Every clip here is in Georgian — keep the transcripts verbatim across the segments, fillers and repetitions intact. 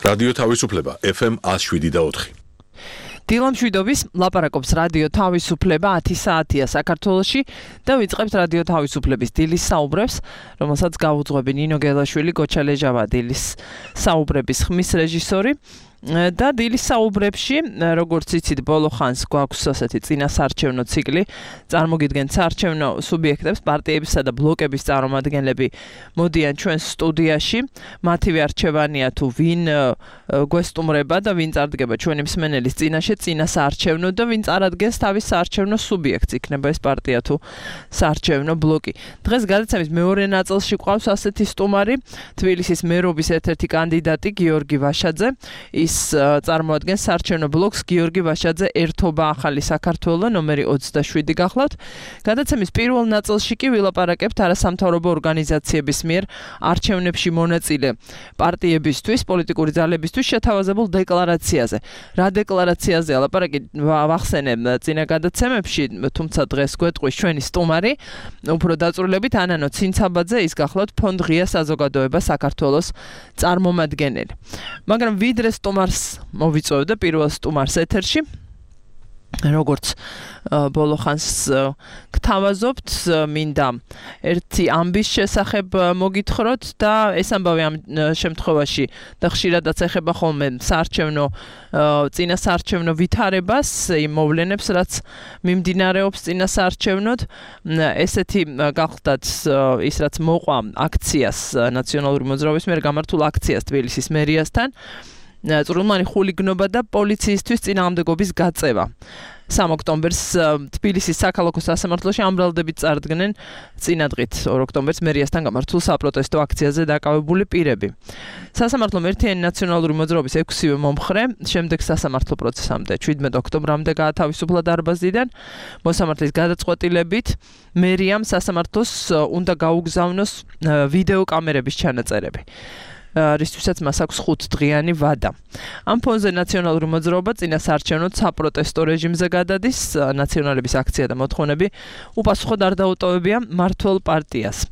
რადიო თავისუფლება ეფ ემ one oh seven და four. დილამშვიდობის ლაპარაკობს რადიო თავისუფლება ათი საათია საქართველოში და ვიწყებთ რადიო თავისუფლების დილის საუბრებს, რომელსაც გაუძღვები ნინო გელაშვილი, გოჩა ლეჟავა დილის საუბრების ხმის რეჟისორი. და დილის საუბრებში, როგორც იცით, ბოლო ხანს გვაქვს ასეთი წინასარჩევნო ციკლი, წარმოგიდგენთ საარჩევნო სუბიექტებს, პარტიებისა და ბლოკების წარმომადგენლები მოდიან ჩვენ სტუდიაში, მათივე არჩევანია თუ ვინ გვესტუმრება და ვინ წარდგება ჩვენი მსმენელის წინაშე წინასაარჩევნო და ვინ წარადგენს თავის საარჩევნო სუბიექტს, იქნება ეს პარტია თუ საარჩევნო ბლოკი. დღეს გადაცემის მეორე ნაწილში გვყავს ასეთი სტუმარი, თბილისის მერობის ერთ-ერთი კანდიდატი გიორგი ვაშაძე. ის წარმოადგენს საარჩევნო ბლოკს გიორგი ვაშაძე ერთობა ახალი საქართველო ნომერი ოცდაშვიდი გახლავთ. გადაცემის პირველ ნაწილში კი ვილაპარაკებთ არასამთავრობო ორგანიზაციების მიერ არჩევნებში მონაწილე პარტიებისთვის, პოლიტიკური ძალებისთვის შეთავაზებულ დეკლარაციაზე. რა დეკლარაციაზე ლაპარაკი ვახსენე წინა გადაცემებში, თუმცა დღეს გვეტყვის ჩვენი სტუმარი, უფრო დაწვრილებით ანანო ცინცაბაძე, ის გახლავთ ფონდ ღია საზოგადოება საქართველოს წარმომადგენელი. მაგრამ ვიდრე სტუმარს მოვიწოვდა პირველ სტუმარს ეთერში, როგორც ბოლო ხანს გთავაზობთ, მინდა ერთი ამბის შესახებ მოგითხროთ და ეს ამბავი ამ შემთხვევაში და ხშირადაც ეხება ხოლმე საარჩევნო წინასაარჩევნო ვითარებას, იმ მოვლენებს, რაც მიმდინარეობს წინასაარჩევნოდ. ესეთი გახლდათ ის, რაც მოყვა აქციას, ნაციონალური მოძრაობის მიერ გამართულ აქციას თბილისის მერიასთან, წვრილმანი ხულიგნობა და პოლიციისთვის წინააღმდეგობის გაწევა. სამი ოქტომბერს თბილისის საქალაქო სასამართლოში ამბრალდებით წარდგნენ წინადღით ორ ოქტომბერს მერიასთან გამართულ საპროტესტო აქციაზე დაკავებული პირები. სასამართლომ ერთიანი ნაციონალური მოძრაობის ექვსივე მომხრე შემდეგ სასამართლო პროცესამდე შვიდმეტ ოქტომბრამდე გაათავისუფლა დარბაზიდან. მოსამართლის გადაწყვეტილებით მერიამ სასამართლოს უნდა გაუგზავნოს ვიდეო კამერების ჩანაწერები, რისთვისაც მას აქვს ხუთდღიანი ვადა. ამ ფონზე ნაციონალური მოძრაობა წინასაარჩევნო საპროტესტო რეჟიმზე გადადის, ნაციონალების აქცია და მოთხოვნები უპასუხოდ არ დაუტოვებია მმართველ პარტიას.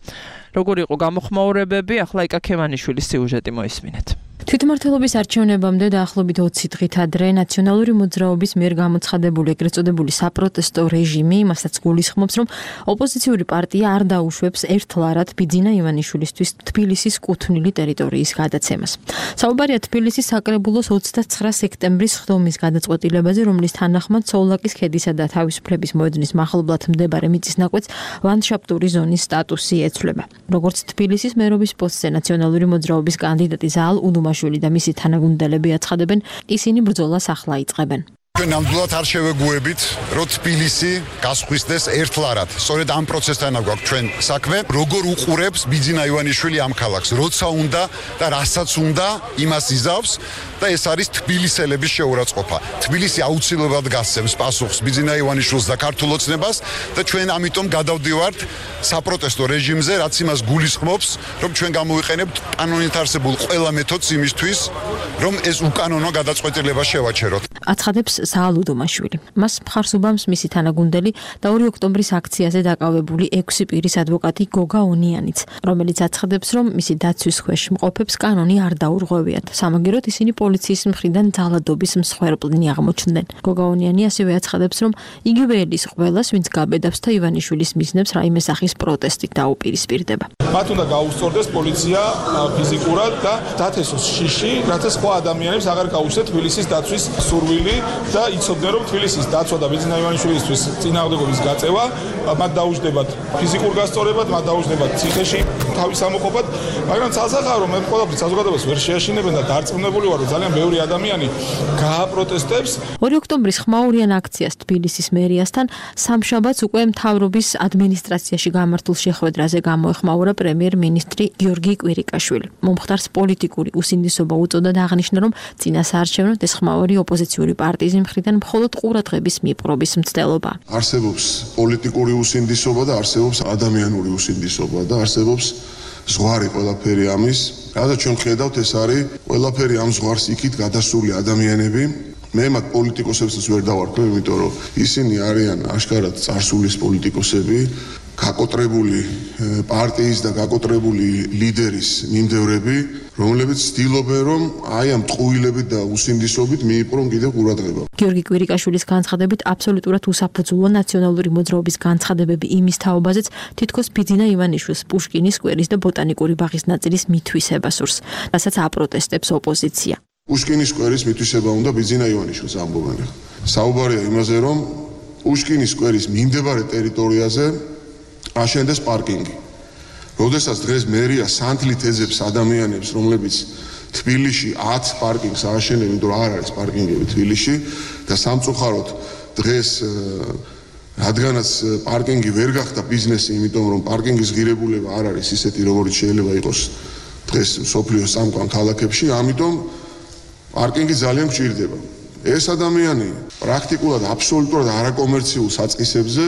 როგორი იყო გამოხმაურებები, ახლა იკა ქემანიშვილის სიუჟეტი მოისმინეთ. თვითმმართველობის არჩევნებამდე დაახლოებით ოცი დღით ადრე ნაციონალური მოძრაობის მიერ გამოცხადებული ეგრეთ წოდებული საპროტესტო რეჟიმი იმასაც გულისხმობს, რომ ოპოზიციური პარტია არ დაუშვებს ერთლარად ბიძინა ივანიშვილისთვის თბილისის კუთვნილი ტერიტორიის გადაცემას. საუბარია თბილისის საკრებულოს ოცდაცხრა სექტემბრის ხდომის გადაწყვეტილებაზე, რომლის თანახმად სოვლაკის ქედისა და თავისუფლების მოედნის მახლობლად მდებარე მიწის ნაკვეთს ლანდშაფტური ზონის სტატუსი ეცვლება. როგორც თბილისის მერობის პოსტზე ნაციონალური მოძრაობის კანდიდატი ზაალ უდუმაშვილი და მისი თანაგუნდელები აცხადებენ, ისინი ბრძოლას ახლა იწყებენ. ჩვენ ნამდვილად არ შევეგუებით, რომ თბილისი გასხვისდეს ერთლარად. სწორედ ამ პროცესთან გვაქვს ჩვენ საქმე, როგორ უყურებს ბიძინა ივანიშვილი ამ ქალაქს, როცა უნდა და რასაც უნდა, იმას იზავს და ეს არის თბილისელების შეურაცხყოფა. თბილისი აუცილებლად გასცემს პასუხს ბიძინა ივანიშვილს და ქართულ ოცნებას და ჩვენ ამიტომ გადავდივართ საპროტესტო რეჟიმზე, რაც იმას გულისხმობს, რომ ჩვენ გამოვიყენებთ კანონით არსებულ ყველა მეთოდს იმისთვის, რომ ეს უკანონო გადაწყვეტილება შევაჩეროთ. აცხადებს ზაალ უდუმაშვილი. მას მხარს უბამს მისი თანაგუნდელი და ორი ოქტომბრის აქციაზე დაკავებული ექვსი პირის ადვოკატი გოგა ონიანიც, რომელიც აცხადებს, რომ მისი დაცვის ქვეშ მყოფებს კანონი არ დაურღვევიათ. სამაგიეროდ ისინი პოლიციის მხრიდან ძალადობის მსხვერპლნი აღმოჩნდნენ. გოგა ონიანი ასევე აცხადებს, რომ იგივე ელის ყველას, ვინც გაბედავს და ივანიშვილის მიზნებს რაიმე სახის პროტესტით დაუპირისპირდება. მათ უნდა გაუსწორდეს პოლიცია ფიზიკურად და დათესოს შიში, რათა სხვა ადამიანებს აღარ გაუჩნდეთ თბილისის დაცვის სურვილი და იცოდნენ, რომ თბილისის დაცვა და ბიძინა ივანიშვილისთვის წინააღმდეგობის გაწევა მათ დაუჯდებათ ფიზიკურ გასწორებად, მათ დაუჯდებათ ციხეში თავის ამოყოფად, მაგრამ ცალსახავრო მე ყველაფრის საზოგადოებას ვერ შეაშინებენ და დარწმუნებული ვარ, რომ ძალიან ბევრი ადამიანი გააპროტესტებს. ორი ოქტომბრის ხმაურიან აქციას თბილისის მერიასთან სამშაბათს უკვე მთავრობის ადმინისტრაციაში გამართულ შეხვედრაზე გამოეხმაურა პრემიერ-მინისტრი გიორგი კვირიკაშვილი. მომხდარს პოლიტიკური უსინდისობა უწოდა და აღნიშნა, რომ წინასაარჩევნოდ ეს ხმაური ოპოზიციური პარტიის მხრიდან მხოლოდ ყურადღების მიპყრობის მცდელობა. არსებობს პოლიტიკური უსინდისობა და არსებობს ადამიანური უსინდისობა და არსებობს ზღვარი ყველაფერი ამის. რადგან ჩვენ ხედავთ, ეს არის ყველაფერი ამ ზღვარს იქით გადასული ადამიანები. მე მათ პოლიტიკოსებსაც ვერ დავარქვე, იმიტომ რომ ისინი არიან აშკარად წარსულის პოლიტიკოსები, გაკოტრებული პარტიის და გაკოტრებული ლიდერის მიმდევრები, რომლებიც ცდილობენ, რომ აი ამ ტყუილებით და უსინდისობით მიიპყრონ კიდევ ყურადღება. გიორგი კვირიკაშვილის განცხადებით აბსოლუტურად უსაფუძვლოა ნაციონალური მოძრაობის განცხადებები იმის თაობაზეც, თითქოს ბიძინა ივანიშვილს პუშკინის სკვერის და ბოტანიკური ბაღის ნაწილის მითვისება სურს, რასაც აპროტესტებს ოპოზიცია. პუშკინის სკვერის მითვისება უნდა ბიძინა ივანიშვილს ამბობენ. საუბარია იმაზე, რომ პუშკინის სკვერის მიმდებარე ტერიტორიაზე აშენდეს პარკინგი. როდესაც დღეს მერია სანთლით ეძებს ადამიანებს, რომლებიც თბილისში ათ პარკინგს ააშენებენ, იმიტომ რომ არ არის პარკინგები თბილისში და სამწუხაროდ დღეს რადგანაც პარკინგი ვერ გახდა ბიზნესი, იმიტომ რომ პარკინგის ღირებულება არ არის ისეთი, როგორც შეიძლება იყოს დღეს მსოფლიოს სამკვან ქალაქებში, ამიტომ პარკინგი ძალიან გვჭირდება. ეს ადამიანი პრაქტიკულად აბსოლუტურად არაკომერციულ საწყისებზე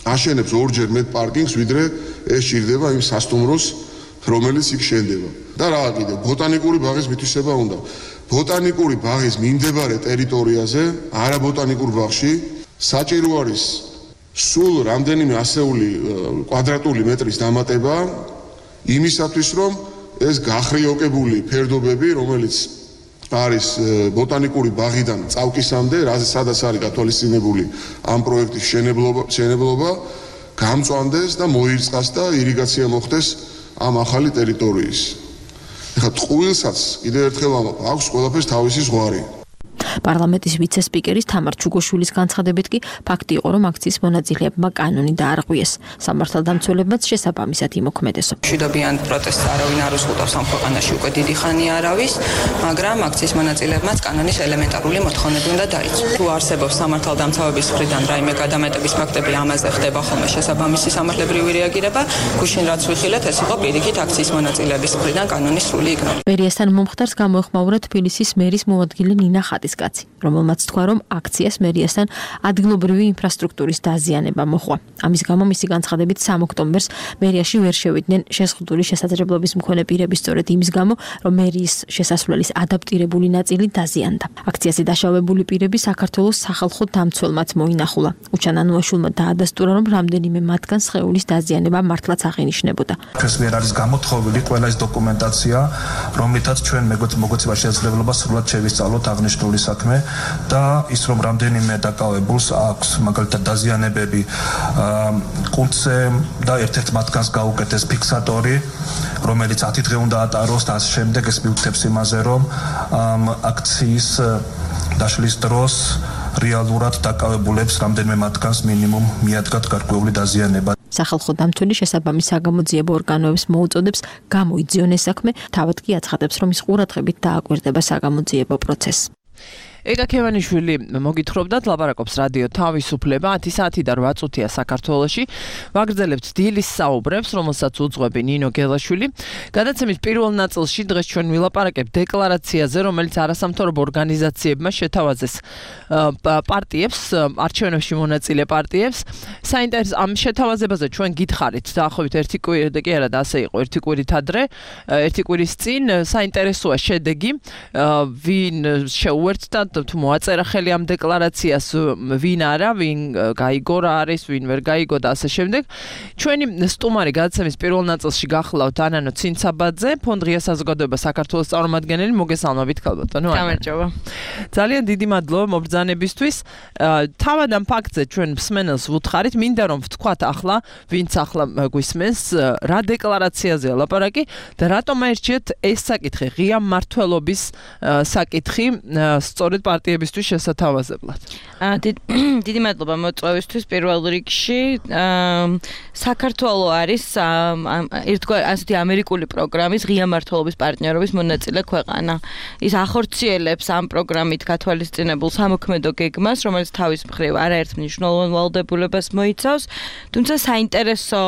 აშენებს ორჯერ მეტ პარკინგს, ვიდრე ეს ჭირდება იმ სასტუმროს, რომელიც იქ შენდება. და რა კიდევ, ბოტანიკური ბაღის მითვისება უნდა. ბოტანიკური ბაღის მიმდებარე ტერიტორიაზე, არა ბოტანიკურ ბაღში, საჭირო არის სულ რამდენიმე ასეული კვადრატული მეტრის დამატება იმისათვის, რომ ეს გახრიოკებული ფერდობები, რომელიც არის ბოტანიკური ბაღიდან წავკისამდე, სადაც არის გათვალისწინებული ამ პროექტის მშენებლობა, გამწვანდეს და მოირწყას და ირიგაცია მოხდეს ამ ახალი ტერიტორიის. ეხლა ტყუილსაც კიდევ ერთხელ ამბობ, აქვს ყველაფერს თავისი ზღვარი. პარლამენტის ვიცე-სპიკერის თამარ ჩუგოშვილის განცხადებით კი ფაქტი იყო, რომ აქციის მონაწილეებმა კანონი დაარღვიეს. სამართალდამცველებმაც შესაბამისად იმოქმედესო. მშვიდობიან პროტესტს არავინ არ უზღუდავს ამ ქვეყანაში უკვე დიდი ხანი არავის, მაგრამ აქციის მონაწილეებმაც კანონის ელემენტარული მოთხოვნები უნდა დაიცვას. თუ არსებობს სამართალდამცავების მხრიდან რაიმე გადამეტების ფაქტები, ამაზე ხდება ხოლმე შესაბამისი სამართლებრივი რეაგირება, გუშინ რაც ვიხილეთ, ეს იყო პირიქით აქციის მონაწილეების მხრიდან კანონის სრული იგნორება. მერიასთან მომხდარს გამოეხმაურა თბილისის მერის მოადგილე ნინა ხატისკაცი, რომელმაც თქვა, რომ აქციას მერიასთან ადგილობრივი ინფრასტრუქტურის დაზიანება მოჰყვა. ამის გამო მისი განცხადებით სამ ოქტომბერს მერიაში ვერ შევიდნენ შეზღუდული შესაძლებლობის მქონე პირები, სწორედ იმის გამო, რომ მერიის შესასვლელის ადაპტირებული ნაწილი დაზიანდა. აქციაზე დაშავებული პირები საქართველოს სახალხო დამცველმაც მოინახულა. უჩან ანუაშვილმა დაადასტურა, რომ რამდენიმე მათგან სხეულის დაზიანება მართლაც აღინიშნებოდა. ეს ვერ არის გამოთხოვილი ყველა ეს დოკუმენტაცია, რომლითაც ჩვენ მოგოცება შესაძლებლობა სრულად შევისწავლოთ აღნიშნული საქმე და ის რომ რამდენიმე დაკავებულს აქვს მაგალითად დაზიანებები კუნთზე და ერთ-ერთ მათგანს გაუკეთეს ფიქსატორი, რომელიც ათი დღე უნდა ატაროს და ამ შემდეგ ეს მიუთითებს იმაზე, რომ აქციის დაშლის დროს რეალურად დაკავებულებს რამდენიმე მათგანს მინიმუმ მიადგათ გარკვეული დაზიანება. სახალხო დამცველი შესაბამის საგამოძიებო ორგანოებს მოუწოდებს გამოიძიონ ეს საქმე, თავად კი აცხადებს, რომ ის ყურადღებით დააკვირდება საგამოძიებო პროცესს. ეგა ქევანიშვილი მოგითხრობდათ, ლაპარაკობს რადიო თავისუფლება, ათი საათი და რვა წუთია საქართველოში. ვაგრძელებთ დილის საუბრებს, რომელსაც უძღვები ნინო გელაშვილი. გადაცემის პირველ ნაწილში დღეს ჩვენ ვილაპარაკებთ დეკლარაციაზე, რომელიც არასამთავრობო ორგანიზაციებმა შეთავაზეს პარტიებს, არჩევნებში მონაწილე პარტიებს. საინტერესო ამ შეთავაზებაზე ჩვენ გითხარით, დაახლოებით ერთი კვირი კი არა და ასე იყო, ერთი კვირით ადრე, ერთი კვირის წინ. საინტერესოა შედეგი, ვინ შეუერთდა თუ მოაწერა ხელი ამ დეკლარაციას, ვინ არა, ვინ გაიგო რა არის, ვინ ვერ გაიგო და ასე შემდეგ. ჩვენი სტუმარი გადაცემის პირველ ნაწილში გახლავთ ანანო ცინცაბაძე, ფონდ ღია საზოგადოება საქართველოს წარმომადგენელი, მოგესალმებით ქალბატონო. გამარჯობა. ძალიან დიდი მადლობა მობრძანებისთვის. თავად ამ ფაქტზე ჩვენ მსმენელს ვუთხარით, მინდა რომ ვთქვათ ახლა, ვინც ახლა გვისმენს, რა დეკლარაციაზეა ლაპარაკი და რატომ აირჩიეთ ეს საკითხი, ღია მმართველობის საკითხი, სწორედ პარტიებისთვის შესათავაზებლად. დიდი მადლობა მოწვევისთვის პირველ რიგში. საქართველო არის ერთგვარი ასეთი ამერიკული პროგრამის ღია მმართველობის პარტნიორობის მონაწილე ქვეყანა. ის ახორციელებს ამ პროგრამით გათვალისწინებულ სამოქმედო გეგმას, რომელიც თავის მხრივ არაერთ მნიშვნელოვან ვალდებულებას მოიცავს, თუმცა საინტერესო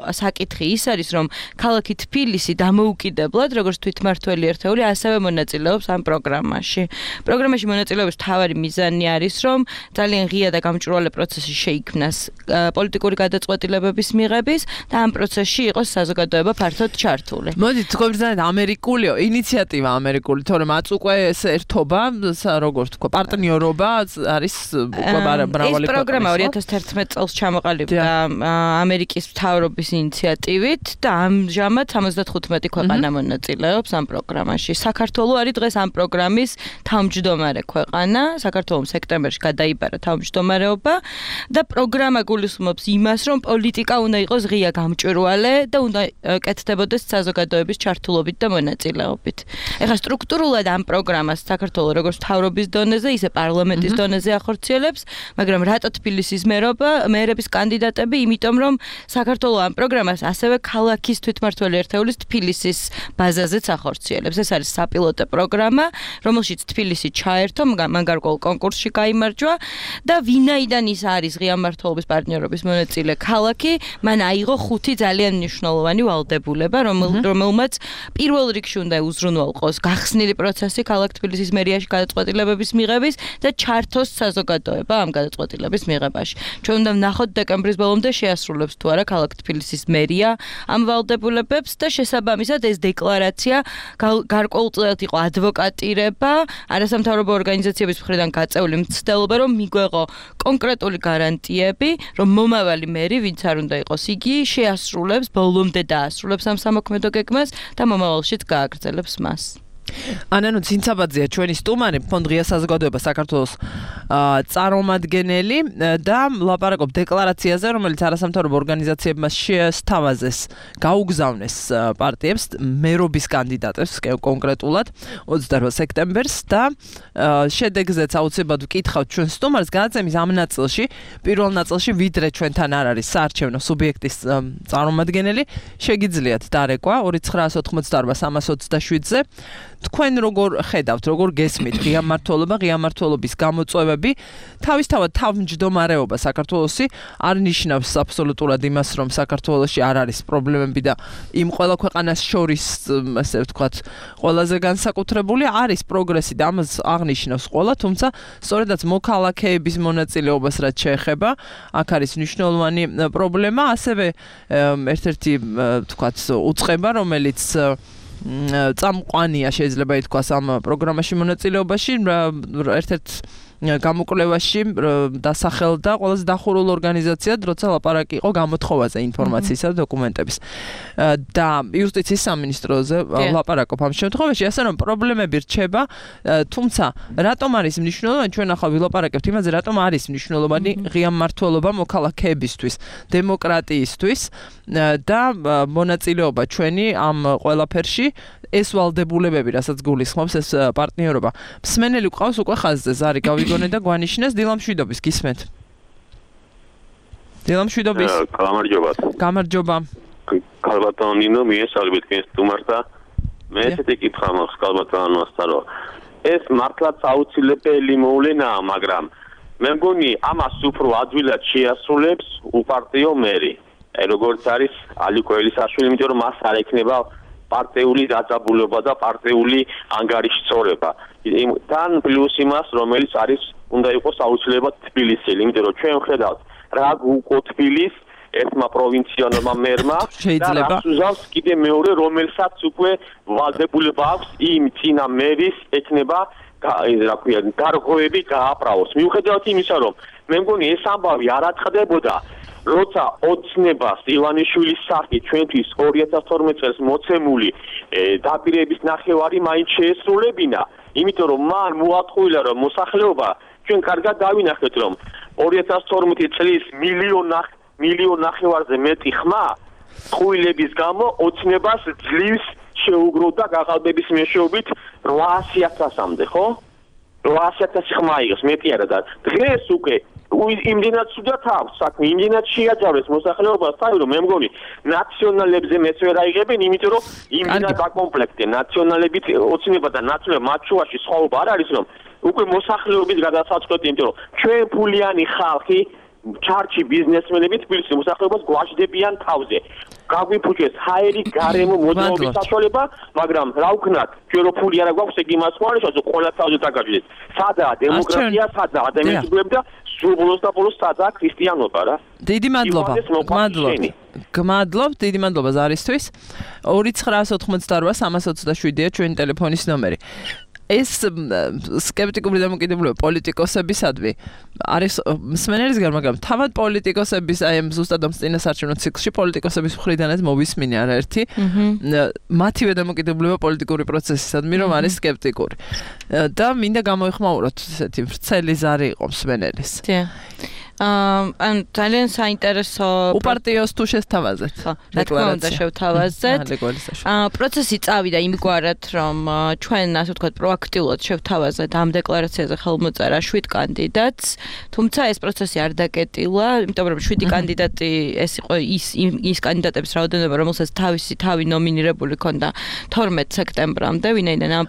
საკითხი ის არის, რომ ქალაქი თბილისი დამოუკიდებლად, როგორც თვითმმართველი ერთეული, ასევე მონაწილეობს ამ პროგრამაში. პროგრამაში მონაწილეობს მონაწილეობის მთავარი მიზანი არის, რომ ძალიან ღია და გამჭვირვალე პროცესი შეიქმნას პოლიტიკური გადაწყვეტილებების მიღების და ამ პროცესში იყოს საზოგადოება ფართოდ ჩართული. მოდი თქვენ ძალიან ამერიკულიო ინიციატივა ამერიკული, თორემ აც უკვე ეს ერთობა, როგორ თქვა, პარტნიორობა არის უკვე მრავალი ეს პროგრამა ორი ათას თერთმეტ წელს ჩამოყალიბდა ამერიკის მთავრობის ინიციატივით და ამჟამად სამოცდათხუთმეტი ქვეყანა მონაწილეობს ამ პროგრამაში. საქართველო არის დღეს ამ პროგრამის თავმჯდომარე ქვეყანა. საქართველოს სექტემბერში გადაიბარა თავმჯდომარეობა და პროგრამა გულისხმობს იმას, რომ პოლიტიკა უნდა იყოს ღია გამჭვირვალე და უნდა კეთდებოდეს საზოგადოების ჩართულობით და მონაწილეობით. ეხლა სტრუქტურულად ამ პროგრამას საქართველოს როგორც მთავრობის დონეზე, ისე პარლამენტის დონეზე ახორციელებს, მაგრამ რატო თბილისის მერობა, მერების კანდიდატები, იმიტომ რომ საქართველოს ამ პროგრამას ასევე ქალაქის თვითმმართველი ერთეულის თბილისის ბაზაზეც ახორციელებს. ეს არის საპილოტო პროგრამა, რომელშიც თბილისი ჩაერთო, მან გარკვეულ კონკურსში გაიმარჯვა და ვინაიდან ის არის ღია მმართველობის პარტნიორობის მონაწილე ქალაქი, მან აიღო ხუთი ძალიან მნიშვნელოვანი ვალდებულება, რომელმაც პირველ რიგში უნდა უზრუნველყოს გახსნილი პროცესი ქალაქ თბილისის მერიაში გადაწყვეტილებების მიღების და ჩართოს საზოგადოება ამ გადაწყვეტილების მიღებაში. ჩვენ უნდა ვნახოთ დეკემბრის ბოლომდე შეასრულებს თუ არა ქალაქ თბილისის მერია ამ ვალდებულებებს და შესაბამისად ეს დეკლარაცია გარკვეულწილად იყო ადვოკატირება არასამთავრობო ორგანიზაციების მხრიდან გაწეული მცდელობა, რომ მიგვეღო კონკრეტული გარანტიები, რომ მომავალი მერი, ვინც არ უნდა იყოს იგი, შეასრულებს ბოლომდე დაასრულებს ამ სამოქმედო გეგმას და მომავალშიც გააგრძელებს მას. ანანუ ცინცაბაძეა ჩვენი სტუმარი, ფონდ ღია საზოგადოება საქართველოს წარმომადგენელი და ლაპარაკობ დეკლარაციაზე, რომელიც არასამთავრობო ორგანიზაციებმა შეესთავაზეს, გაუგზავნეს პარტიებს, მერობის კანდიდატებს კონკრეტულად ოცდაოთხ სექტემბერს და შედეგზეც აუცილებლად ვკითხავთ ჩვენ სტუმარს გადაცემის ამ ნაწილში, პირველ ნაწილში ვიდრე ჩვენთან არ არის საარჩევნო სუბიექტის წარმომადგენელი, შეგიძლიათ დარეკვა ორი ცხრაას ოთხმოცდაარბა სამას ოცდაშვიდზე. თქვენ როგორ ხედავთ, როგორ გესმით ღია მმართველობა, ღია მმართველობის გამოწვევები, თავისთავად თავმჯდომარეობა საქართველოსი არ ნიშნავს აბსოლუტურად იმას, რომ საქართველოში არ არის პრობლემები და იმ ყველა ქვეყანას შორის, ასე ვთქვათ, ყველაზე განსაკუთრებული არის პროგრესი და ამას აღნიშნავს ყველა, თუმცა სწორედაც მოქალაქეების მონაწილეობას რაც შეეხება, აქ არის მნიშვნელოვანი პრობლემა, ასევე ერთ-ერთი, ვთქვათ, უწყება, რომელიც წამყვანია შეიძლება ითქვას ამ პროგრამაში მონაწილეობაში, ერთ-ერთ გამოკვლევაში დასახელდა ყველაზე დახურულ ორგანიზაციად, როცა ლაპარაკი იყო გამოთხოვაზე ინფორმაციისა და დოკუმენტების. და იუსტიციის სამინისტროზე ლაპარაკობ ამ შემთხვევაში, ასე რომ პრობლემები რჩება, თუმცა რატომ არის მნიშვნელოვანი, ჩვენ ახლა ვილაპარაკებთ იმაზე, რატომ არის მნიშვნელოვანი ღია მმართველობა მოქალაქეებისთვის, დემოკრატიისთვის და მონაწილეობა ჩვენი ამ ყველაფერში, ეს ვალდებულებები, რასაც გულისხმობს ეს პარტნიორობა. მსმენელი გვყავს უკვე ხაზზე, ზარი გავიგონე და გვანიშნეს დილამშვიდობის, გისმენთ. დილამშვიდობის. გამარჯობა. გამარჯობა. ქალბატონო ნინო, მიესალმებით თქვენ სტუმარს და მე ესეთი კითხვა მაქვს ქალბატონოსთან, რომ ეს მართლაც აუცილებელი მოვლენაა, მაგრამ მე მგონი ამას უფრო ადვილად შეასრულებს უპარტიო მერი. აი როგორც არის ალიკო ელისაშვილი, იმიტომ რომ მას არ ექნება პარტიული დაძაბულობა და პარტიული ანგარიშწორება. თან პლუს იმას, რომელიც არის უნდა იყოს აუცილებლად თბილისელი, იმიტომ რომ ჩვენ ხედავთ რა გუკო თბილის ერთმა პროვინციონალმა მერმა და რას უზავს კიდე მეორე, რომელსაც უკვე ვალდებულება აქვს იმ წინა მერის ექნება რა ქვია გარღვევები გააправოს. მიუხედავად იმისა, რომ მე მგონი ეს ამბავი არ აწყდებოდა, როცა ოცნებას ივანიშვილის სახით ჩვენთვის ორი ათას თორმეტ წელს მოცემული დაპირების ნახევარი მაინც შეესრულებინა, იმიტომ რომ მან მოატყუილა, რომ მოსახლეობა ჩვენ კარგად დავინახეთ, რომ ორი ათას თორმეტი წლის მილიონ მილიონ ნახევარზე მეტი ხმა ტყუილების გამო ოცნებას ძლივს შეუგროვდა გაყალბების მეშვეობით რვაასი ათასამდე, ხო? რვაასი ათასი ხმა იღეს, მეტი არა და დღეს უკვე იმდენად სუდათ აქვს საქმე, იმდენად შეაჯავეს მოსახლეობას, თავი რომ მე მგონი ნაციონალებზე მეც ვერ აიღებენ, იმიტომ რომ იმდენად დაკომპლექტე ნაციონალებით ოცნება და ნაციონალ მათ შუაში სხვაობა არ არის, რომ უკვე მოსახლეობის გადასაწყვეტი, იმიტომ რომ ჩვენ ფულიანი ხალხი ჩარჩი ბიზნესმენები თბილისის მოსახლეობას გვაჯდებიან თავზე. გაგვიფუჭეს ჰაერი გარემო მოძრაობის საშუალება, მაგრამ რა ვქნათ, ჩვენ რო ფული არა გვაქვს, ეგ იმას ხوارიშა, რომ ყველა თავზე დაგაჭირდეს. სადაა დემოკრატია, სადაა ადამიანები და სულ ბოლოს და ბოლოს სადაა ქრისტიანობა რა. დიდი მადლობა. გმადლობ. გმადლობ, დიდი მადლობა ზარისთვის. ორი ცხრაას ოთხმოცდაოთხ სამას ოცდაშვიდია ჩვენი ტელეფონის ნომერი. ეს სკეპტიკური დამოკიდებულება პოლიტიკოსებისადმი არის მსმენელისგან, მაგრამ თავად პოლიტიკოსების აი ამ ზუსტად ამ წინასარჩევნო ციკლში პოლიტიკოსების მხრიდანაც მოვისმინე არაერთი მათივე დამოკიდებულება პოლიტიკური პროცესისადმი, რომ არის სკეპტიკური. და მინდა გამოიხმაუროთ ესეთი ვრცელი ზარი იყო მსმენელის. ან ძალიან საინტერესო უპარტიოს თუ შესთავაზეთ. ხო, რა თქმა უნდა შევთავაზეთ. აა პროცესი წავიდა იმგვარად, რომ ჩვენ ასე ვთქვათ პროაქტიულად შევთავაზეთ ამ დეკლარაციაზე ხელმოწერა შვიდ კანდიდატს, თუმცა ეს პროცესი არ დაკეტილა, იმიტომ რომ შვიდი კანდიდატი ეს იყო ის ის კანდიდატების რაოდენობა, რომელსაც თავისი თავი ნომინირებული ქონდა თორმეტ სექტემბრამდე, ვინაიდან ამ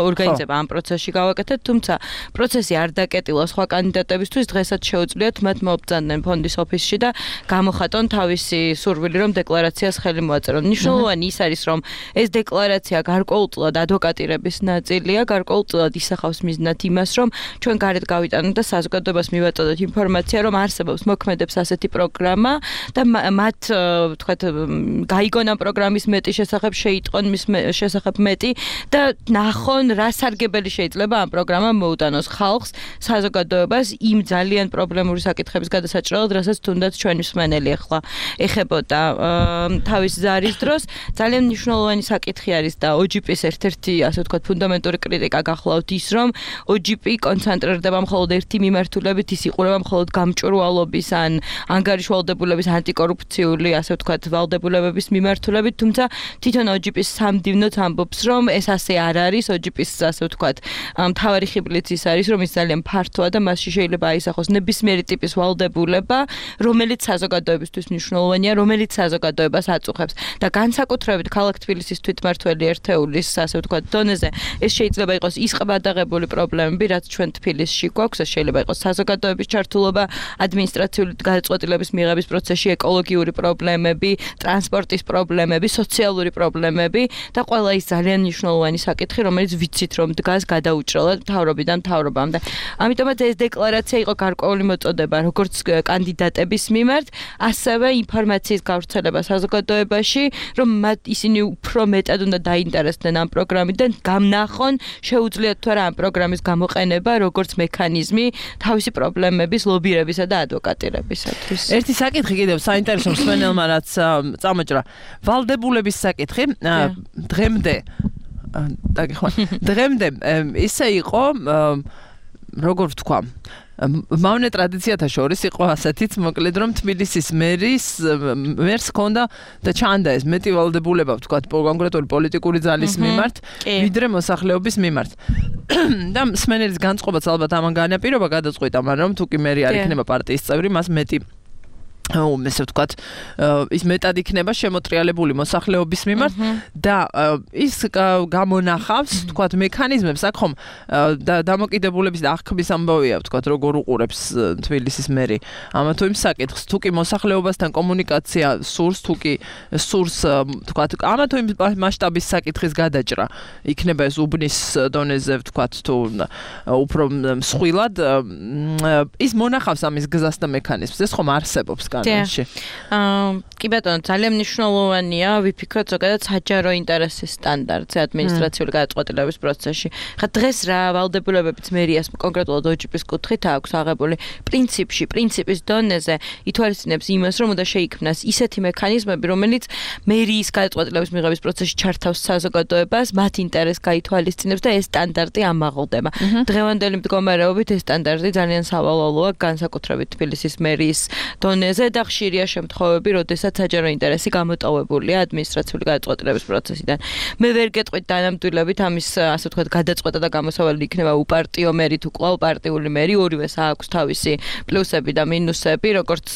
ორგანიზება ამ პროცესში გავაკეთეთ, თუმცა პროცესი არ დაკეტილა სხვა კანდიდატებისთვის, დღესაც შეუძლიათ მათ მობრძანდნენ ფონდის ოფისში და გამოხატონ თავისი სურვილი, რომ დეკლარაციას ხელი მოაწერონ. მნიშვნელოვანი ის არის, რომ ეს დეკლარაცია გარკვეულწილად ადვოკატირების ნაწილია, გარკვეულწილად ისახავს მიზნად იმას, რომ ჩვენ გარეთ გავიტანოთ და საზოგადოებას მივაწოდოთ ინფორმაცია, რომ არსებობს მოქმედებს ასეთი პროგრამა და მათ, ვთქვათ, გაიგონ ამ პროგრამის მეტი შესახებ, შეიტყონ მის შესახებ მეტი და ნახონ, რა სარგებელი შეიძლება ამ პროგრამამ მოუტანოს ხალხს, საზოგადოებას იმ ძალიან პრობლემური საკითხების გადასაჭრელად, რასაც თუნდაც ჩვენი მსმენელი ახლა ეხებოდა თავის ზარის დროს. ძალიან მნიშვნელოვანი საკითხი არის და O G P-ს ერთ-ერთი, ასე ვთქვათ, ფუნდამენტური კრიტიკა გახლავთ ის, რომ O G P კონცენტრირდება მხოლოდ ერთი მიმართულებით, ის იყურება მხოლოდ გამჭვირვალობის ან ანგარიშვალდებულების ანტიკორუფციული, ასე ვთქვათ, ვალდებულებების მიმართულებით, თუმცა თვითონ O G P-ს სამდივნოთ ამბობს, რომ ეს ასე არ არის. O G P-ს, ასე ვთქვათ, მთავარი ხიბლიც ის არის, რომ ის ძალიან ფართოა და მასში შეიძლება აისახოს ნებისმიერი ტიპის ვალდებულება, რომელიც საზოგადოებისთვის მნიშვნელოვანია, რომელიც საზოგადოებას აწუხებს და განსაკუთრებით ქალაქ თბილისის თვითმმართველი ერთეულის, ასე ვთქვათ, დონეზე ეს შეიძლება იყოს ის ყბადაღებული პრობლემები, რაც ჩვენ თბილისში გვაქვს, ეს შეიძლება იყოს საზოგადოების ჩართულობა, ადმინისტრაციული გადაწყვეტილების მიღების პროცესში, ეკოლოგიური პრობლემები, ტრანსპორტის პრობლემები, სოციალური პრობლემები და ყველა ის ძალიან მნიშვნელოვანი საკითხი, რომელიც ვიცით, რომ დგას გადაუჭრელად მთავრობიდან მთავრობამდე. ამიტომაც ეს დეკლარაცია იყო გარკვეული მოწოდება როგორც კანდიდატების მიმართ, ასევე ინფორმაციის გავრცელება საზოგადოებაში, რომ მათ ისინი უფრო მეტად უნდა დაინტერესდნენ ამ პროგრამიდან, გამნახონ, შეუძლიათ თუ არა ამ პროგრამის გამოყენება როგორც მექანიზმი თავისი პრობლემების ლობირებისა და ადვოკატირებისათვის. ერთი საკითხი კიდევ საინტერესო მსმენელმა რაც წამოჭრა, ვალდებულების საკითხი დღემდე დაგეხმართ. დღემდე ისე იყო, როგორ ვთქვა, მავნე ტრადიციათა შორის იყო ასეთიც, მოკლედ რომ თბილისის მერის მერს ჰქონდა და ჩანდა ეს მეტი ვალდებულება, ვთქვათ, კონკრეტული პოლიტიკური ძალის მიმართ, ვიდრე მოსახლეობის მიმართ. და მსმენელის განწყობაც ალბათ ამან განაპირობა გადაწყვიტა, მაგრამ თუ კი მერი არ იქნება პარტიის წევრი, მას მეტი ესე ვთქვათ, ის მეტად იქნება შემოტრიალებული მოსახლეობის მიმართ და ის გამონახავს, ვთქვათ, მექანიზმებს, აქ ხომ დამოკიდებულების და აღქმის ამბავია, ვთქვათ, როგორ უყურებს თბილისის მერი ამა თუ იმ საკითხს, თუ კი მოსახლეობასთან კომუნიკაცია სურს, თუ კი სურს, ვთქვათ, ამა თუ იმ მასშტაბის საკითხის გადაჭრა იქნება ეს უბნის დონეზე, ვთქვათ, თუ უფრო მსხვილად, ის მონახავს ამის გზას და მექანიზმს, ეს ხომ არსებობს განში. აა, კი ბატონო, ძალიან მნიშვნელოვანია ვიფიქროთ ზოგადად საჯარო ინტერესის სტანდარტზე ადმინისტრაციული გადაწყვეტილების პროცესში. ხა დღეს რა ვალდებულებებიც მერიას კონკრეტულად O G P-ის კუთხით აქვს აღებული პრინციპში, პრინციპის დონეზე ითვალისწინებს იმას, რომ უნდა შეიქმნას ისეთი მექანიზმები, რომელიც მერიის გადაწყვეტილების მიღების პროცესში ჩართავს საზოგადოებას, მათ ინტერესს გაითვალისწინებს და ეს სტანდარტი ამაღლდება. დღევანდელი მდგომარეობით ეს სტანდარტი ძალიან სავალალოა, განსაკუთრებით თბილისის მერიის დონეზე ზედახშირია შემთხვევები, როდესაც საჯარო ინტერესი გამოტოვებულია ადმინისტრაციული გადაწყვეტილების პროცესიდან. მე ვერ გეტყვით დანამდვილებით ამის, ასე ვთქვათ, გადაწყვეტა და გამოსავალი იქნება უპარტიო მერი თუ კვლავ პარტიული მერი, ორივეს აქვს თავისი პლუსები და მინუსები, როგორც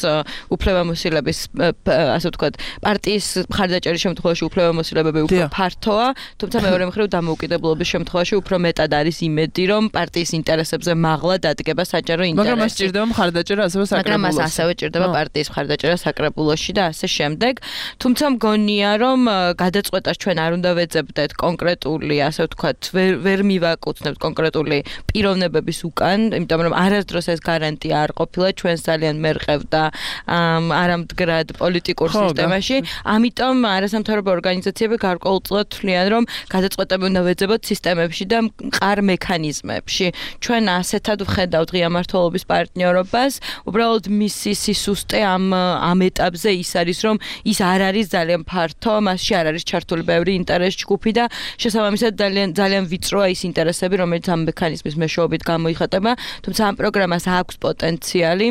უფლებამოსილების, ასე ვთქვათ, პარტიის მხარდაჭერის შემთხვევაში უფლებამოსილებები უფრო ფართოა, თუმცა მეორე მხრივ დამოუკიდებლობის შემთხვევაში უფრო მეტად არის იმედი, რომ პარტიის ინტერესებზე მაღლა დადგება საჯარო ინტერესი. მაგრამ მას ჭირდება მხარდაჭერა ასევე საკრებულოში. მაგრამ მას ასევე ჭირდება პარტიის მხარდაჭერა საკრებულოში და ასე შემდეგ. თუმცა მგონია, რომ გადაწყვეტას ჩვენ არ უნდა ვეძებდეთ კონკრეტული, ასე ვთქვათ, ვერ ვერ მივაკუთვნებთ კონკრეტული პიროვნებების უკან, იმიტომ რომ არასდროს ეს გარანტია არ ყოფილა ჩვენს ძალიან მერყევ და არამდგრად პოლიტიკურ სისტემაში. ამიტომ არასამთავრობო ორგანიზაციები გარკვეულწილად თვლიან, რომ გადაწყვეტები უნდა ვეძებოთ სისტემებში და მყარ მექანიზმებში. ჩვენ ასეთად ვხედავთ ღია მმართველობის პარტნიორობას, უბრალოდ მისი სისუსტე ამ ამ ეტაპზე ის არის, რომ ის არ არის ძალიან ფართო, მასში არ არის ჩართული ბევრი ინტერეს ჯგუფი და შესაბამისად ძალიან ძალიან ვიწროა ის ინტერესები, რომელიც ამ მექანიზმის მეშვეობით გამოიხატება, თუმცა ამ პროგრამას აქვს პოტენციალი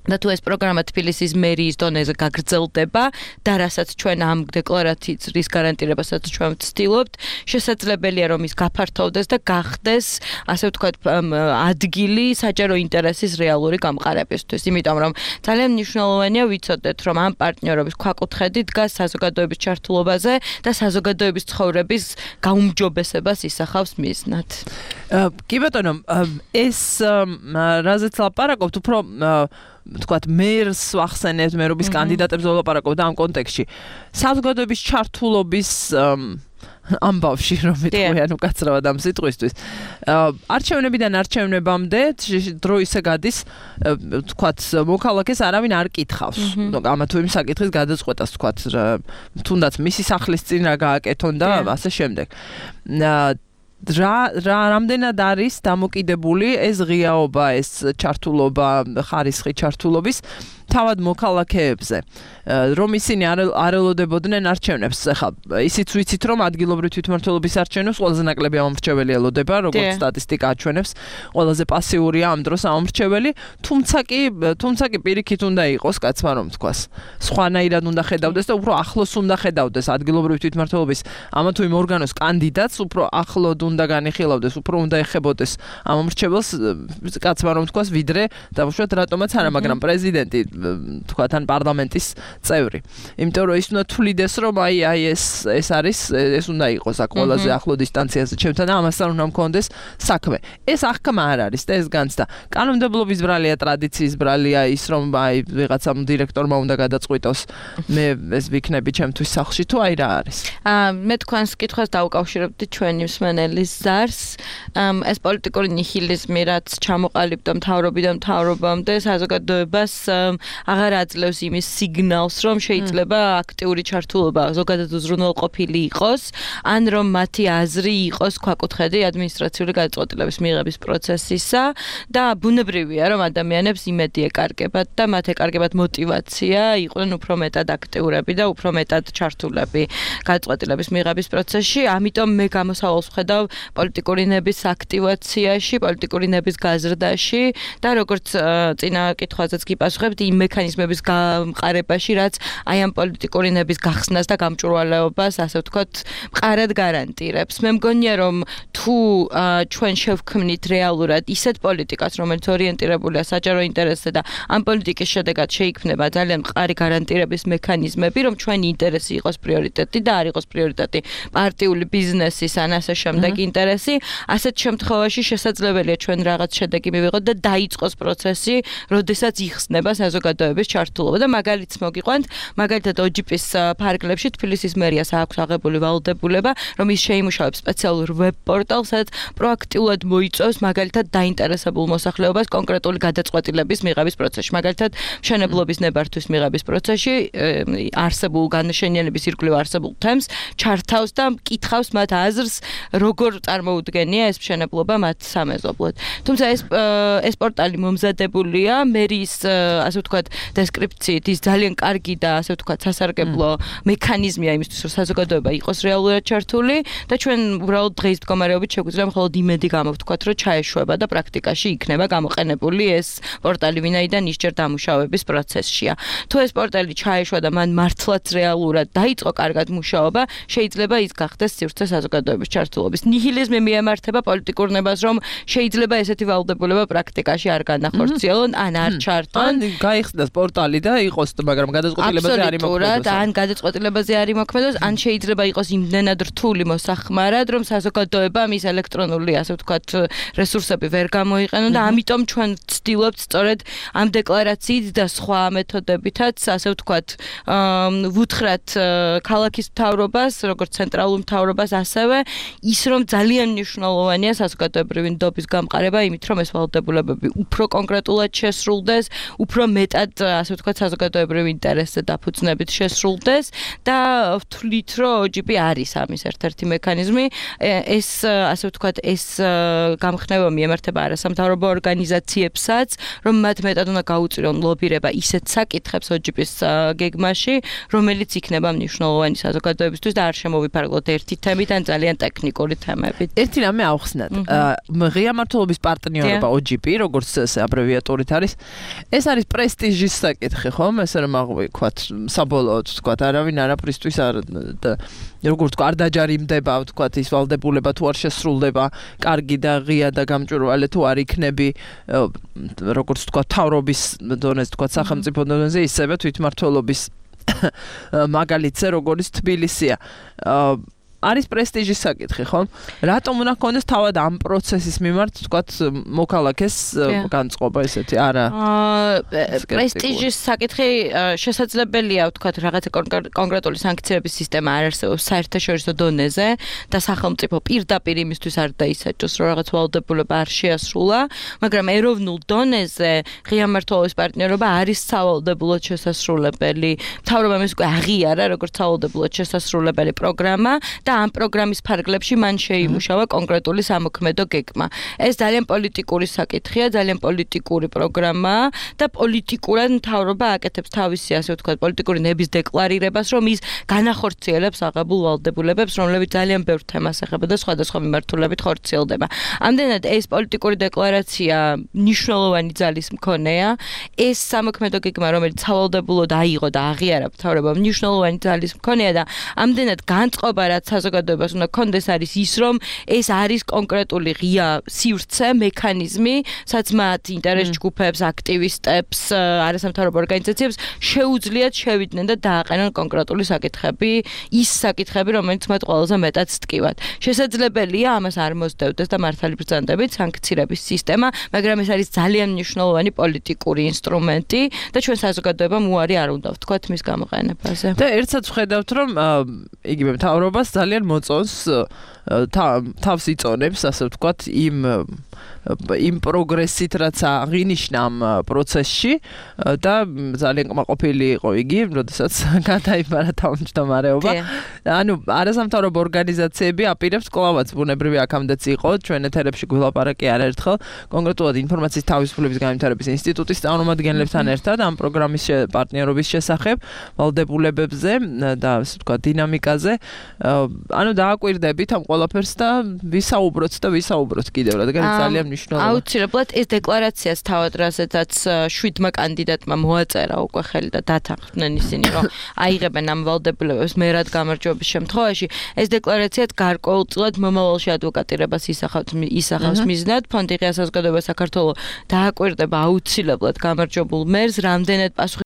და თუ ეს პროგრამა თბილისის მერიის დონეზე გაგრძელდება და რასაც ჩვენ ამ დეკლარაციით რის გარანტირებასაც ჩვენ ვცდილობთ, შესაძლებელია რომ ის გაფართოვდეს და გახდეს, ასე ვთქვათ, ადგილი საჯარო ინტერესის რეალური გამყარებისთვის. იმიტომ რომ ძალიან მნიშვნელოვანია ვიცოდეთ, რომ ამ პარტნიორობის ქვაკუთხედი დგას საზოგადოების ჩართულობაზე და საზოგადოების ცხოვრების გაუმჯობესებას ისახავს მიზნად. კი ბატონო, ეს რაზეც ლაპარაკობთ, უფრო თქვათ მერს ვახსენებთ, მერობის კანდიდატებს ვლაპარაკობთ ამ კონტექსტში. საზოგადოების ჩართულობის ამბავში რომ ვიტყვი, ანუ კაცრავად ამ სიტყვისთვის. არჩევნებიდან არჩევნებამდე დრო ისე გადის, თქვათ, მოქალაქეს არავინ არ კითხავს. ამა თუ იმ საკითხის გადაწყვეტას, თქვათ, თუნდაც მისი სახლის წინ რა გააკეთონ და ასე შემდეგ. რა რა რამდენად არის დამოკიდებული ეს ღიაობა, ეს ჩართულობა, ხარისხი ჩართულობის თავად მოქალაქეებზე, რომ ისინი არ ელოდებოდნენ არჩევნებს. ახლა ისიც ვიცით, რომ ადგილობრივი თვითმმართველობის არჩევნებს ყველაზე ნაკლები ამომრჩეველი ელოდება, როგორც სტატისტიკა აჩვენებს, ყველაზე პასიურია ამ დროს ამომრჩეველი, თუმცა კი თუმცა კი პირიქით უნდა იყოს, კაცმა რომ თქვას. სხვანაირად უნდა ხედავდეს და უფრო ახლოს უნდა ხედავდეს ადგილობრივი თვითმმართველობის ამა თუ იმ ორგანოს კანდიდატს, უფრო ახლოდ უნდა განიხილავდეს, უფრო უნდა ეხებოდეს ამომრჩეველს, კაცმა რომ თქვას, ვიდრე დავუშვათ რატომაც არა, მაგრამ პრეზიდენტი თქვა თან პარლამენტის წევრი. იმიტომ რომ ის უნდა თვლიდეს, რომ აი აი ეს ეს არის, ეს უნდა იყოს აქ ყველაზე ახლო დისტანციაზე ჩემთან და ამასთან უნდა მქონდეს საქმე. ეს აღქმა არ არის და ეს განცდა. კანონმდებლობის ბრალია, ტრადიციის ბრალია ის, რომ აი ვიღაცამ დირექტორმა უნდა გადაწყვიტოს, მე ეს ვიქნები ჩემთვის სახლში თუ აი რა არის. აა მე თქვენს კითხვას დავუკავშირებდი ჩვენი მსმენელის ზარს. ეს პოლიტიკური ნიჰილიზმი, რაც ჩამოყალიბდა მთავრობიდან მთავრობამდე, საზოგადოებას აღარ აძლევს იმის სიგნალს, რომ შეიძლება აქტიური ჩართულობა ზოგადად უზრუნველყოფილი იყოს, ან რომ მათი აზრი იყოს ქვაკუთხედი ადმინისტრაციული გადაწყვეტილების მიღების პროცესისა და ბუნებრივია, რომ ადამიანებს იმედი ეკარგებათ და მათ ეკარგებათ мотиваცია, იყვნენ უფრო მეტად აქტიურები და უფრო მეტად ჩართულები გადაწყვეტილების მიღების პროცესში. ამიტომ მე გამოსავალს ვხედავ პოლიტიკური ნების აქტივაციაში, პოლიტიკური ნების გაზრდაში და როგორც წინა კითხვაზეც გიპასუხებთ, იმ მექანიზმების გამყარებაში, რაც აი ამ პოლიტიკური ნების გახსნას და გამჭვირვალეობას, ასე ვთქვათ, მყარად გარანტირებს. მე მგონია, რომ თუ ჩვენ შევქმნით რეალურად ისეთ პოლიტიკას, რომელიც ორიენტირებულია საჯარო ინტერესზე და ამ პოლიტიკის შედეგად შეიქმნება ძალიან მყარი გარანტირების მექანიზმები, რომ ჩვენი ინტერესი იყოს პრიორიტეტი და არ იყოს პრიორიტეტი პარტიული ბიზნესის ან ასე შემდეგ ინტერესი, ასეთ შემთხვევაში შესაძლებელია ჩვენ რაღაც შედეგი მივიღოთ და დაიწყოს პროცესი, როდესაც იხსნება საზოგადოების ჩართულობა და მაგალითს მოგიყვანთ, მაგალითად ოჯიპის ფარგლებში თბილისის მერიას აქვს აღებული ვალდებულება, რომ ის შეიმუშავებს სპეციალურ ვებ პორტალს, სადაც პროაქტიულად მოიწვევს მაგალითად დაინტერესებულ მოსახლეობას კონკრეტული გადაწყვეტილების მიღების პროცესში. მაგალითად, მშენებლობის ნებართვის მიღების პროცესში არსებულ განაშენიანების ირგვლივ არსებულ თემს ჩართავს და მკითხავს მათ აზრს, როგორ წარმოუდგენია ეს მშენებლობა მათ სამეზობლოდ. თუმცა ეს ეს პორტალი მომზადებულია მერის, ასე ვთქვათ, ვთქვათ, დესკრიფციით ის ძალიან კარგი და ასე ვთქვათ, სასარგებლო მექანიზმია იმისთვის, რომ საზოგადოება იყოს რეალურად ჩართული და ჩვენ უბრალოდ დღის მდგომარეობით შეგვიძლია მხოლოდ იმედი გამოვთქვათ, რომ ჩაეშვება და პრაქტიკაში იქნება გამოყენებული ეს პორტალი, ვინაიდან ისჯერ დამუშავების პროცესშია. თუ ეს პორტალი ჩაეშვა და მან მართლაც რეალურად დაიწყო კარგად მუშაობა, შეიძლება ის გახდეს სივრცე საზოგადოების ჩართულობის. ნიჰილიზმი მიემართება პოლიტიკურ ნებას, რომ შეიძლება ესეთი ვალდებულება პრაქტიკაში არ განახორციელონ, ან არ ჩართონ. ან გაიხსნას პორტალი და იყოს, მაგრამ გადაწყვეტილებაზე არ იმოქმედოს. ან გადაწყვეტილებაზე არ იმოქმედოს, ან შეიძლება იყოს იმდენად რთული მოსახმარად, რომ საზოგადოებამ ის ელექტრონული, ასე ვთქვათ, რესურსები ვერ გამოიყენონ და ამიტომ ჩვენ ვცდილობთ სწორედ ამ დეკლარაციით და სხვა მეთოდებითაც, ასე ვთქვათ, ვუთხრათ ქალაქის მთავრობას, როგორც ცენტრალურ მთავრობას, ასევე ის რომ ძალიან მნიშვნელოვანია საზოგადოებრივი ნდობის გამყარება, იმით რომ ეს ვალდებულებები უფრო კონკრეტულად შესრულდეს, უფრო მეტად, ასე ვთქვათ, საზოგადოებრივ ინტერესზე დაფუძნებით შესრულდეს და ვთვლით, რომ O G P არის ამის ერთ-ერთი მექანიზმი. ეს, ასე ვთქვათ, ეს გამხნევა მიემართება არასამთავრობო ორგანიზაციებსაც, რომ მათ მეტად უნდა გაუწირონ ლობირება ისეთ საკითხებს O G P-ის გეგმაში, რომელიც იქნება მნიშვნელოვანი საზოგადოებისთვის და არ შემოვიფარგლოთ ერთი თემით ან ძალიან ტექნიკური თემებით. ერთი რამე ავხსნათ. ღია მმართველობის პარტნიორობა O G P, როგორც ეს აბრევიატურით არის, ეს არის პრესტიჟის საკითხი, ხომ? ესე რომ აღვიქვათ, საბოლოოდ ვთქვათ, არავინ არაფრისთვის არ როგორც თქვა, არ დაჯარიმდება, ვთქვათ, ის ვალდებულება თუ არ შესრულდება, კარგი და ღია და გამჭვირვალე თუ არ იქნები, როგორც თქვა, თავრობის დონეზე, თქვა, სახელმწიფო დონეზე, ისევე თვითმმართველობის მაგალითზე, როგორც თბილისია. არის პრესტიჟის საკითხი, ხო? რატომ უნდა ქონდეს თავად ამ პროცესის მიმართ, ვთქვათ, მოქალაქეს განწყობა ესეთი, არა? პრესტიჟის საკითხი შესაძლებელია, ვთქვათ, რაღაცა კონკრეტული სანქციების სისტემა არ არსებობს საერთაშორისო დონეზე და სახელმწიფო პირდაპირ იმისთვის არ დაისაჯოს, რომ რაღაც ვალდებულება არ შეასრულა, მაგრამ ეროვნულ დონეზე ღია მმართველობის პარტნიორობა არის სავალდებულოდ შესასრულებელი. მთავრობამ ეს უკვე აღიარა, როგორც სავალდებულოდ შესასრულებელი პროგრამა და ამ პროგრამის ფარგლებში მან შეიმუშავა კონკრეტული სამოქმედო გეგმა. ეს ძალიან პოლიტიკური საკითხია, ძალიან პოლიტიკური პროგრამაა და პოლიტიკურად მთავრობა აკეთებს თავისი, ასე ვთქვათ, პოლიტიკური ნების დეკლარირებას, რომ ის განახორციელებს აღებულ ვალდებულებებს, რომლებიც ძალიან ბევრ თემას ეხება და სხვადასხვა მიმართულებით ხორციელდება. ამდენად ეს პოლიტიკური დეკლარაცია მნიშვნელოვანი ძალის მქონეა. ეს სამოქმედო გეგმა, რომელიც სავალდებულოდ აიღო და აღიარა მთავრობამ, მნიშვნელოვანი ძალის მქონეა და ამდენად განწყობა, რაც საზოგადოებას უნდა კონდეს არის ის, რომ ეს არის კონკრეტული ღია სივრცე, მექანიზმი, სადაც მათ ინტერეს ჯგუფებს, აქტივისტებს, არასამთავრობო ორგანიზაციებს შეუძლიათ შევიდნენ და დააყენონ კონკრეტული საკითხები, ის საკითხები, რომელიც მათ ყველაზე მეტად სტკივათ. შესაძლებელია ამას არ მოსდევდეს და მართალი ბრძანდებით სანქციების სისტემა, მაგრამ ეს არის ძალიან მნიშვნელოვანი პოლიტიკური ინსტრუმენტი და ჩვენ საზოგადოებამ უარი არ უნდა ვთქვათ მის გამოყენებაზე. და ერთსაც ვხედავთ, რომ იგივე მთავრობას ძალიან მოწონს თავს იწონებს, ასე ვთქვათ, იმ იმ პროგრესით, რაც აღინიშნა ამ პროცესში და ძალიან კმაყოფილი იყო იგი, როდესაც გადაიბარა თავმჯდომარეობა. ანუ არასამთავრობო ორგანიზაციები აპირებს კლავაც ბუნებრივი აქამდეც იყო, ჩვენ ეთერებში გვილაპარაკი არაერთხელ, კონკრეტულად ინფორმაციის თავისუფლების განვითარების ინსტიტუტის წარმომადგენლებთან ერთად ამ პროგრამის პარტნიორობის შესახებ, ვალდებულებებზე და ასე ვთქვათ, დინამიკაზე. ანუ დააკვირდებით ამ ყველაფერს და ვისაუბროთ და ვისაუბროთ კიდევ, რადგან ძალიან მნიშვნელოვანია. აუცილებლად ეს დეკლარაციას თავად რასაც შვიდმა კანდიდატმა მოაწერა უკვე ხელი და დათანხმდნენ ისინი, რომ აიღებენ ამ ვალდებულებებს მერად გამარჯვების შემთხვევაში, ეს დეკლარაციაც გარკვეულწილად მომავალში ადვოკატირებას ისახავს ისახავს მიზნად. ფონდი ღია საზოგადოება საქართველოს დააკვირდება აუცილებლად გამარჯვებულ მერს, რამდენად პასუხი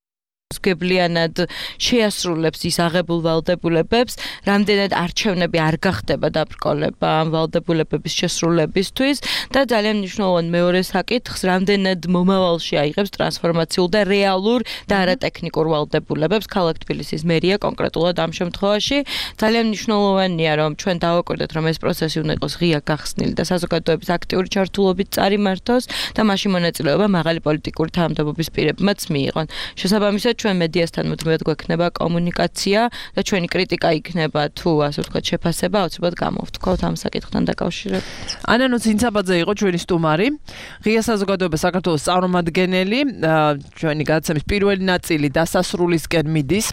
გებლიანად შეასრულებს ის აღებულ ვალდებულებებს, რამდენად არჩევნები არ გახდება დაბრკოლება ამ ვალდებულებების შესრულებისთვის და ძალიან მნიშვნელოვანი მეორე საკითხს, რამდენად მომავალში აიღებს ტრანსფორმაციულ და რეალურ და არატექნიკურ ვალდებულებებს ქალაქ თბილისის მერია კონკრეტულად ამ შემთხვევაში. ძალიან მნიშვნელოვანია, რომ ჩვენ დავაკვირდეთ, რომ ეს პროცესი უნდა იყოს ღია გახსნილი და საზოგადოების აქტიური ჩართულობით წარიმართოს და მასში მონაწილეობა მაღალი პოლიტიკური თანამდებობის პირებმაც მიიღონ. შესაბამისად ჩვენ მედიასთან მუდმივად გვექნება კომუნიკაცია და ჩვენი კრიტიკა იქნება თუ ასე ვთქვათ შეფასება აუცილებლად გამოვთქვათ ამ საკითხთან დაკავშირებით. ანანუ ცინცაბაძე იყო ჩვენი სტუმარი, ღია საზოგადოება საქართველოს წარმომადგენელი, ჩვენი გადაცემის პირველი ნაწილი დასასრულისკენ მიდის.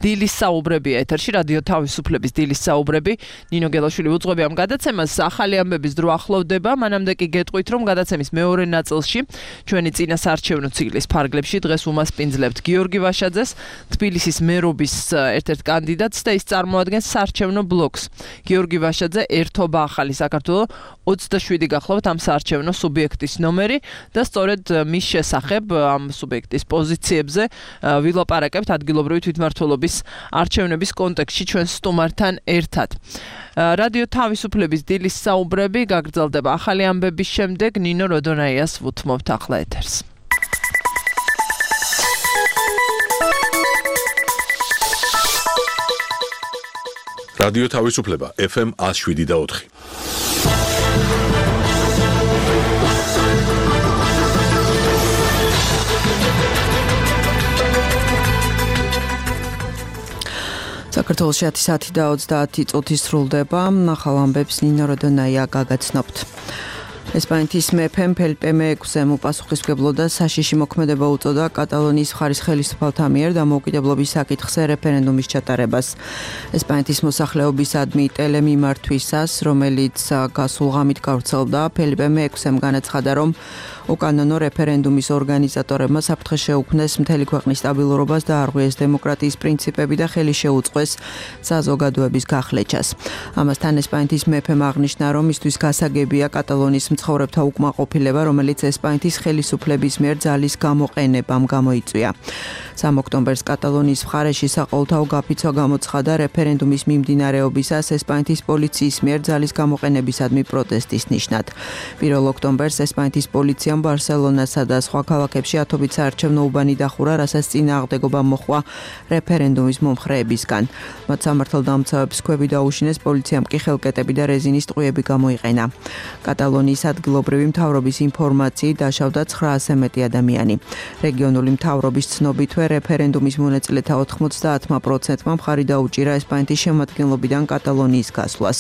დილის საუბრები ეთერში, რადიო თავისუფლების დილის საუბრები. ნინო გელაშვილი უძღვები ამ გადაცემას, ახალი ამბების დრო ახლოვდება. მანამდე კი გეტყვით, რომ გადაცემის მეორე ნაწილში ჩვენი წინასაარჩევნო ციკლის ფარგლებში დღეს უმასპინძლებთ გიორგი ვაშაძეს, თბილისის მერობის ერთ-ერთ კანდიდატს და ის წარმოადგენს საარჩევნო ბლოკს. გიორგი ვაშაძე ერთობა ახალი საქართველო ოცდაშვიდი გახლავთ ამ საარჩევნო სუბიექტის ნომერი და სწორედ მის შესახებ ამ სუბიექტის პოზიციებზე ვილაპარაკებთ ადგილობრივი თვითმმართველობის არჩევნების კონტექსტში ჩვენ სტუმართან ერთად. რადიო თავისუფლების დილის საუბრები გაგრძელდება ახალი ამბების შემდეგ. ნინო როდონაიას ვუთმობთ ახლა ეთერს. რადიო თავისუფლება ეფ ემ ათს შვიდი და ოთხი. საქართველოში ათი საათი და ოცდაათი წუთი სრულდება. ახალ ამბებს ნინო როდონაია გაგაცნობთ. ესპანეთის მეფემ ფელიპე მეექვსემ უპასუხისმგებლო და საშიში მოქმედება უწოდა კატალონიის მხარის ხელისუფალთა მიერ დამოუკიდებლობის საკითხზე რეფერენდუმის ჩატარებას. ესპანეთის მოსახლეობისადმი ტელემიმართვისას, რომელიც გასულ ღამით გავრცელდა, ფელიპე მეექვსემ განაცხადა, რომ უკანონო რეფერენდუმის ორგანიზატორებმა საფრთხე შეუქმნეს მთელი ქვეყნის სტაბილურობას და არღვიეს დემოკრატიის პრინციპები და ხელი შეუწყეს საზოგადოების გახლეჩას. ამასთან ესპანეთის მეფემ აღნიშნა, რომ მისთვის გასაგებია კატალონიის მცხოვრებთა უკმაყოფილება, რომელიც ესპანეთის ხელისუფლების მიერ ძალის გამოყენებამ გამოიწვია. სამ ოქტომბერს კატალონიის მხარეში საყოველთაო გაფიცვა გამოცხადა რეფერენდუმის მიმდინარეობისას ესპანეთის პოლიციის მიერ ძალის გამოყენებისადმი პროტესტის ნიშნად. პირველ ოქტომბერს ესპანეთის პოლიციამ ბარსელონასა და სხვა ქალაქებში ათობით საარჩევნო უბანი დახურა, რასაც წინააღმდეგობა მოჰყვა რეფერენდუმის მომხრეებისგან. მათ სამართალდამცავებს ქვები დაუშინეს, პოლიციამ კი ხელკეტები და რეზინის ტყვიები გამოიყენა. კატალონიის ადგილობრივი მთავრობის ინფორმაციით დაშავდა ცხრაასზე მეტი ადამიანი. რეგიონული მთავრობის ცნობითვე რეფერენდუმის მონაწილეთა ოთხმოცდაათმა პროცენტმა მხარი დაუჭირა ესპანეთის შემადგენლობიდან კატალონიის გასვლას.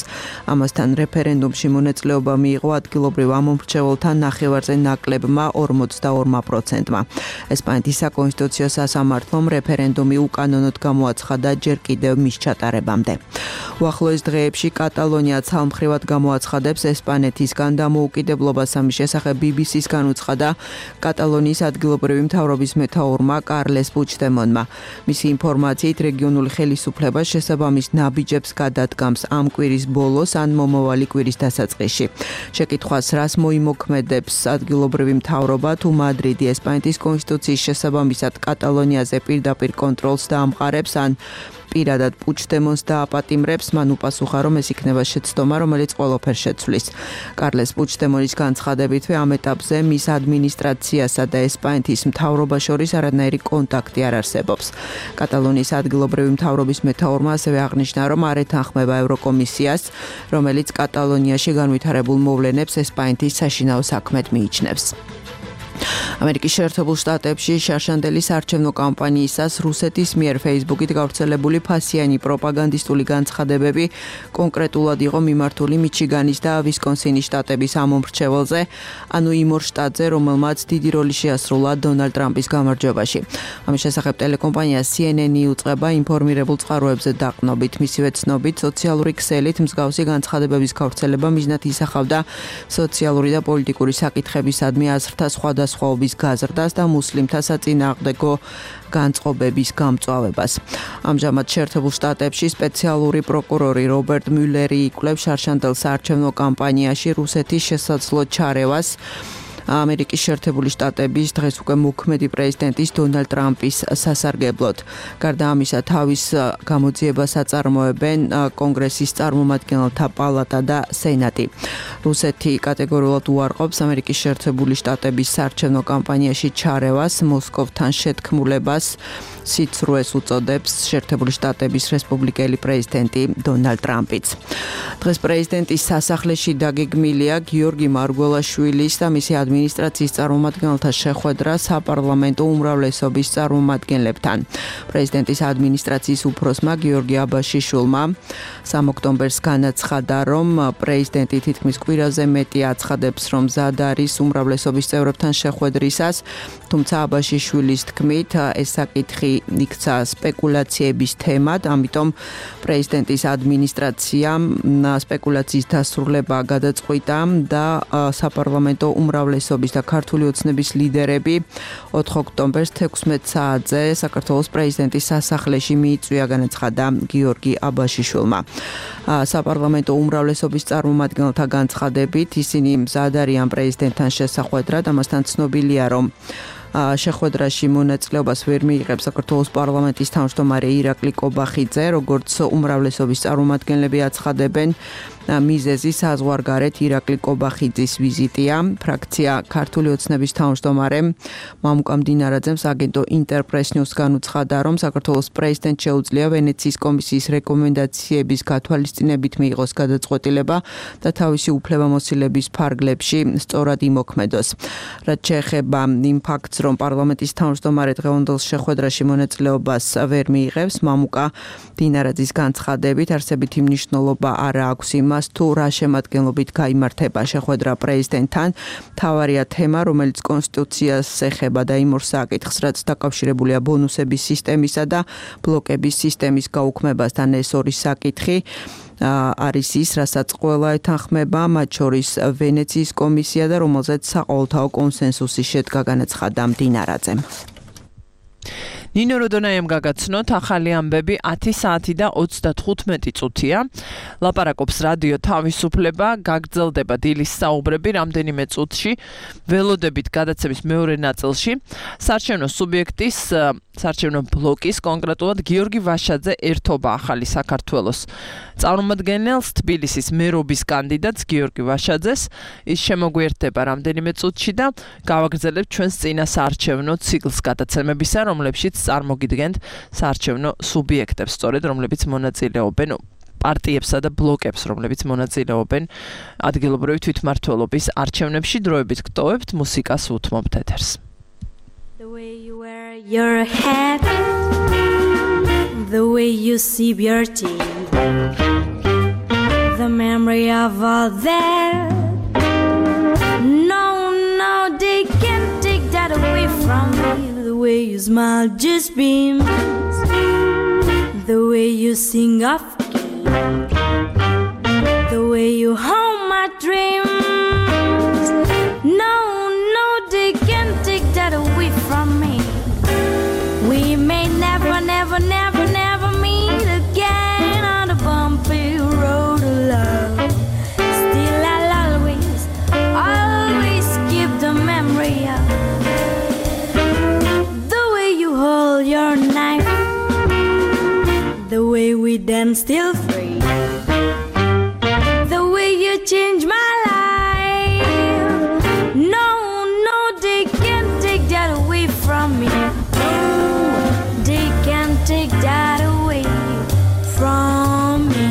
ამასთან რეფერენდუმში მონაწილეობა მიიღო ადგილობრივ ამომრჩეველთა ნახევარზე ნაკლებმა ორმოცდაორმა პროცენტმა. ესპანეთის საკონსტიტუციო სასამართლომ რეფერენდუმი უკანონოდ გამოაცხადა ჯერ კიდევ მის ჩატარებამდე. უახლოეს დღეებში კატალონია ცალმხრივად გამოაცხადებს ესპანეთისგან დამოუკიდებლობას. ამის შესახებ ბი ბი სის განუცხადა კატალონიის ადგილობრივი მთავრობის მეთაურმა კარლეს პუჩდემონმა. მისი ინფორმაციით რეგიონული ხელისუფლება შესაბამის ნაბიჯებს გადადგამს ამ კვირის ბოლოს ან მომავალი კვირის დასაწყისში. შეკითხვას რას მოიმოქმედებს ადგილობრივი მთავრობა, თუ მადრიდი ესპანეთის კონსტიტუციის შესაბამისად კატალონიაზე პირდაპირ კონტროლს დაამყარებს ან პირადად პუჩდემონს დააპატიმრებს, მან უპასუხა, რომ ეს იქნება შეცდომა, რომელიც ყველაფერს შეცვლის. კარლეს პუჩდემონის განცხადებითვე ამ ეტაპზე მის ადმინისტრაციასა და ესპანეთის მთავრობას შორის არანაირი კონტაქტი არ არსებობს. კატალონიის ადგილობრივი მთავრობის მეთაურმა ასევე აღნიშნა, რომ არ ეთანხმება ევროკომისიას, რომელიც კატალონიაში განვითარებულ მოვლენებს ესპანეთის საშინაო საქმედ მიიჩნევს. ამერიკის შეერთებულ შტატებში შარშანდელი საარჩევნო კამპანიისას რუსეთის მიერ Facebook-ით გავრცელებული ფასიანი პროპაგანდისტული განცხადებები კონკრეტულად იყო მიმართული მიჩიგანის და ვისკონსინის შტატების ამომრჩეველზე, ანუ იმ ორ შტატზე, რომელმაც დიდი როლი შეასრულა დონალდ ტრამპის გამარჯვებაში. ამის შესახებ ტელეკომპანია სი ენ ენ იუწყება ინფორმირებულ წყაროებზე დაყნობით. მისივე ცნობით, სოციალური ქსელით მსგავსი განცხადებების გავრცელება მიზნად ისახავდა სოციალური და პოლიტიკური საკითხებისადმი აზრთა სხვადასხვა სხვაობის გაზრდას და მუსლიმთა საწინააღმდეგო განწყობების გამწვავებას. ამჟამად შეერთებულ შტატებში სპეციალური პროკურორი რობერტ მიულერი იკვლევს შარშანდელ საარჩევნო კამპანიაში რუსეთის შესაძლო ჩარევას ამერიკის შეერთებული შტატების დღეს უკვე მოქმედი პრეზიდენტის დონალდ ტრამპის სასარგებლოდ. გარდა ამისა, თავის გამოძიებას აწარმოებენ კონგრესის წარმომადგენელთა პალატა და სენატი. რუსეთი კატეგორიულად უარყოფს ამერიკის შეერთებული შტატების საარჩევნო კამპანიაში ჩარევას, მოსკოვთან შეთქმულებას სიცრუეს უწოდებს შეერთებული შტატების რესპუბლიკელი პრეზიდენტი დონალდ ტრამპიც. დღეს პრეზიდენტის სასახლეში დაგეგმილია გიორგი მარგველაშვილის და მისი ადმინისტრაციის ადმინისტრაციის წარმომადგენელთა შეხვედრა საპარლამენტო უმრავლესობის წარმომადგენლებთან. პრეზიდენტის ადმინისტრაციის უფროსმა გიორგი აბაშიშვილმა სამი ოქტომბერს განაცხადა, რომ პრეზიდენტი თითქმის კვირაზე მეტი აცხადებს, რომ მზად არის უმრავლესობის წევრებთან შეხვედრისას, თუმცა აბაშიშვილის თქმით, ეს საკითხი იქცა სპეკულაციების თემად, ამიტომ პრეზიდენტის ადმინისტრაციამ სპეკულაციის დასრულება გადაწყვიტა და საპარლამენტო უმრავლესობის და ქართული ოცნების ლიდერები ოთხ ოქტომბერს თექვსმეტ საათზე საქართველოს პრეზიდენტის სასახლეში მიიწვია, განაცხადა გიორგი აბაშიშვილმა. საპარლამენტო უმრავლესობის წარმომადგენელთა განცხადებით, ისინი მზად არიან პრეზიდენტთან შესახვედრად, ამასთან ცნობილია, რომ შეხვედრაში მონაწილეობას ვერ მიიღებს საქართველოს პარლამენტის თავმჯდომარე ირაკლი კობახიძე, როგორც უმრავლესობის წარმომადგენლები აცხადებენ, მიზეზი საზღვარგარეთ ირაკლი კობახიძის ვიზიტია. ფრაქცია ქართული ოცნების თავმჯდომარემ მამუკა მდინარაძემ აგენტო ინტერპრეს ნიუს განუცხადა, რომ საქართველოს პრეზიდენტს შეუძლია ვენეციის კომისიის რეკომენდაციების გათვალისწინებით მიიღოს გადაწყვეტილება და თავისი უფლებამოსილების ფარგლებში სწორად იმოქმედოს. რაც შეეხება იმ ფაქტს, რომ პარლამენტის თავმჯდომარე დღევანდელ შეხვედრაში მონაწილეობას ვერ მიიღებს, მამუკა მდინარაძის განცხადებით არსებითი მნიშვნელობა არ აქვს იმას, თუ რა შემადგენლობით გაიმართება შეხვედრა პრეზიდენტთან. მთავარია თემა, რომელიც კონსტიტუციას ეხება და იმ ორ საკითხს, რაც დაკავშირებულია ბონუსების სისტემისა და ბლოკების სისტემის გაუქმებასთან. ეს ორი საკითხი არის ის, რასაც ყველა ეთანხმება, მათ შორის ვენეციის კომისია და რომელზეც საყოველთაო კონსენსუსი შედგა, განაცხადა მდინარაძემ. ნინო როდონაიამ გაგაცნოთ ახალი ამბები ათი საათი და ოცდათხუთმეტი წუთია. ლაპარაკობს რადიო თავისუფლება, გაგრძელდება დილის საუბრები რამდენიმე წუთში, ველოდებით გადაცემის მეორე ნაწილში. საარჩევნო სუბიექტის, საარჩევნო ბლოკის, კონკრეტულად გიორგი ვაშაძე ერთობა ახალი საქართველოს წარმომადგენელს, თბილისის მერობის კანდიდატს გიორგი ვაშაძეს. ის შემოგვიერთდება რამდენიმე წუთში და გავაგრძელებთ ჩვენს წინა საარჩევნო ციკლს გადაცემებისა, რომლებშიც წარმოგიდგენთ საარჩევნო სუბიექტებს, სწორედ რომლებიც მონაწილეობენ პარტიებსა და ბლოკებს, რომლებიც მონაწილეობენ ადგილობრივი თვითმმართველობის არჩევნებში. დროებით გტოვებთ მუსიკას, უთმობთ ეთერს. The way you wear your hat, the way you sip your tea, the memory of all that, no, no, they can't take that away from me. The way you smile just beams, the way you sing off key, the way you hold my dreams, no, no, they can't take that away from me. We may never, never, never, never meet again on the bumpy road of love. Still I'll always, always keep the memory of the way you hold your knife, the way we dance still free, the way you change my life. No, no, they can't take that away from me. No, they can't take that away from me.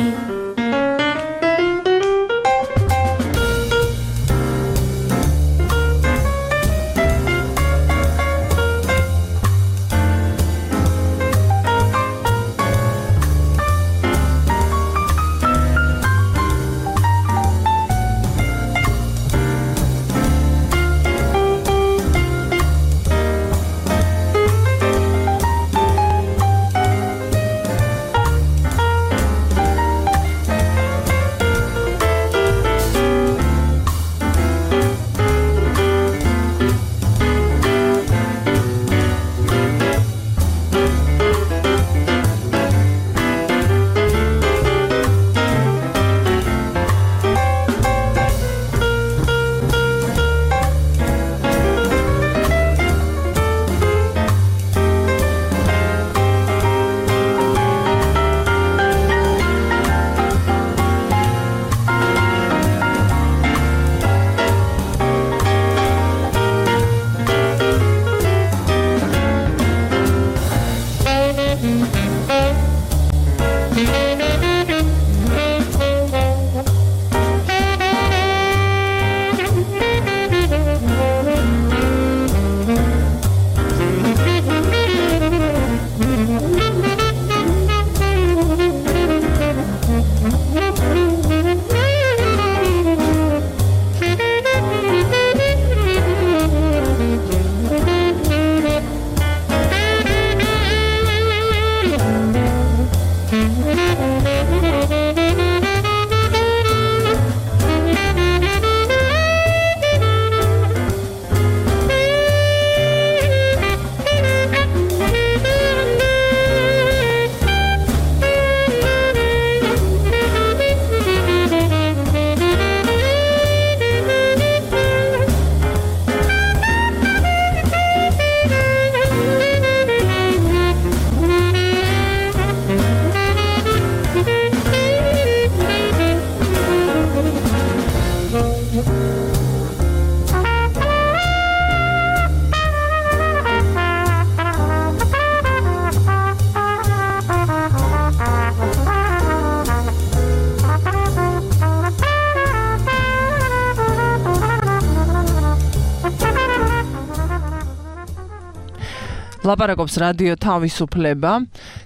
ლაპარაკობს რადიო თავისუფლება,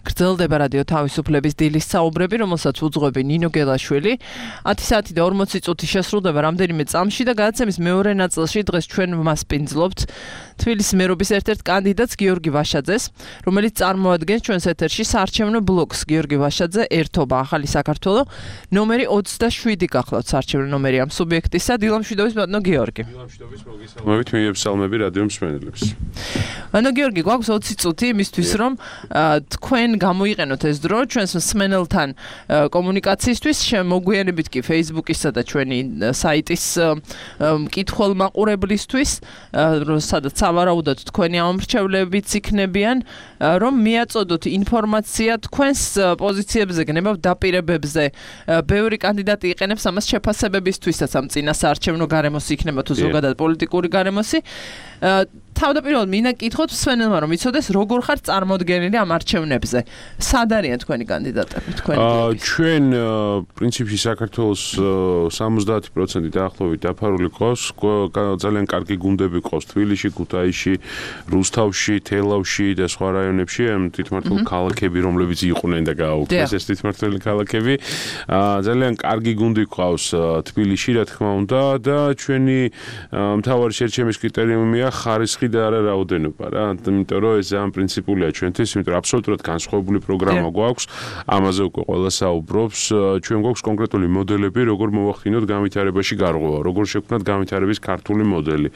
გრძელდება რადიო თავისუფლების დილის საუბრები, რომელსაც უძღვები ნინო გელაშვილი. ათი საათი და ორმოცი წუთი შესრულდება რამდენიმე წამში და გადაცემის მეორე ნაწილში დღეს ჩვენ ვმასპინძლობთ თბილისის მერობის ერთ-ერთ კანდიდატს გიორგი ვაშაძეს, რომელიც წარმოადგენს ჩვენს ეთერში საარჩევნო ბლოკს. გიორგი ვაშაძე, ერთობა ახალი საქართველო, ნომერი ოცდაშვიდი გახლავთ საარჩევნო ნომერი ამ სუბიექტისა. დილამშვიდობის ბატონო გიორგი. დილამშვიდობის მოგესალმებით, მიებსალმები რადიო მსმენელებს. ანუ გიორგი, გვაქვს ოცი წუთი იმისთვის, რომ თქვენ გამოიყენოთ ეს დრო ჩვენს მსმენელთან კომუნიკაციისთვის, მოგვიანებით კი Facebook-ისა და ჩვენი საიტის მკითხველმაყურებლისთვის, სადაც სავარაუდოდ თქვენი ამომრჩევლებიც იქნებიან, რომ მიაწოდოთ ინფორმაცია თქვენს პოზიციებზე, გნებავ დაპირებებზე. ბევრი კანდიდატი იყენებს ამას შეფასებებისთვისაც, ამ წინა საარჩევნო გარემოსი იქნება თუ ზოგადად პოლიტიკური გარემოსი. თავდაპირველად მინდა კითხოთ მსმენელმა, რომ იცოდეს როგორ ხარ წარმოდგენილი ამ არჩევნებზე. სად არიან თქვენი კანდიდატები, თქვენი? ჩვენ პრინციპში საქართველოს სამოცდაათი პროცენტი დაახლოებით დაფარული ყავს, ძალიან კარგი გუნდები ყავს თბილისში, ქუთაისში, რუსთავში, თელავში და სხვა რაიონებში, ამ თვითმმართველ ქალაქები, რომლებიც იყვნენ და გააუქმეს ეს თვითმმართველი ქალაქები. ძალიან კარგი გუნდი ყავს თბილისში, რა თქმა უნდა, და ჩვენი მთავარი შერჩემის კრიტერიუმია ხარისხი და არა რაოდენობა რა, იმიტომ რომ ეს ძალიან პრინციპულია ჩვენთვის, იმიტომ რომ აბსოლუტურად განსხვავებული პროგრამა გვაქვს, ამაზე უკვე ყველა საუბრობს, ჩვენ გვაქვს კონკრეტული მოდელები, როგორ მოვახდინოთ განვითარებაში გარღვევა, როგორ შევქმნათ განვითარების ქართული მოდელი,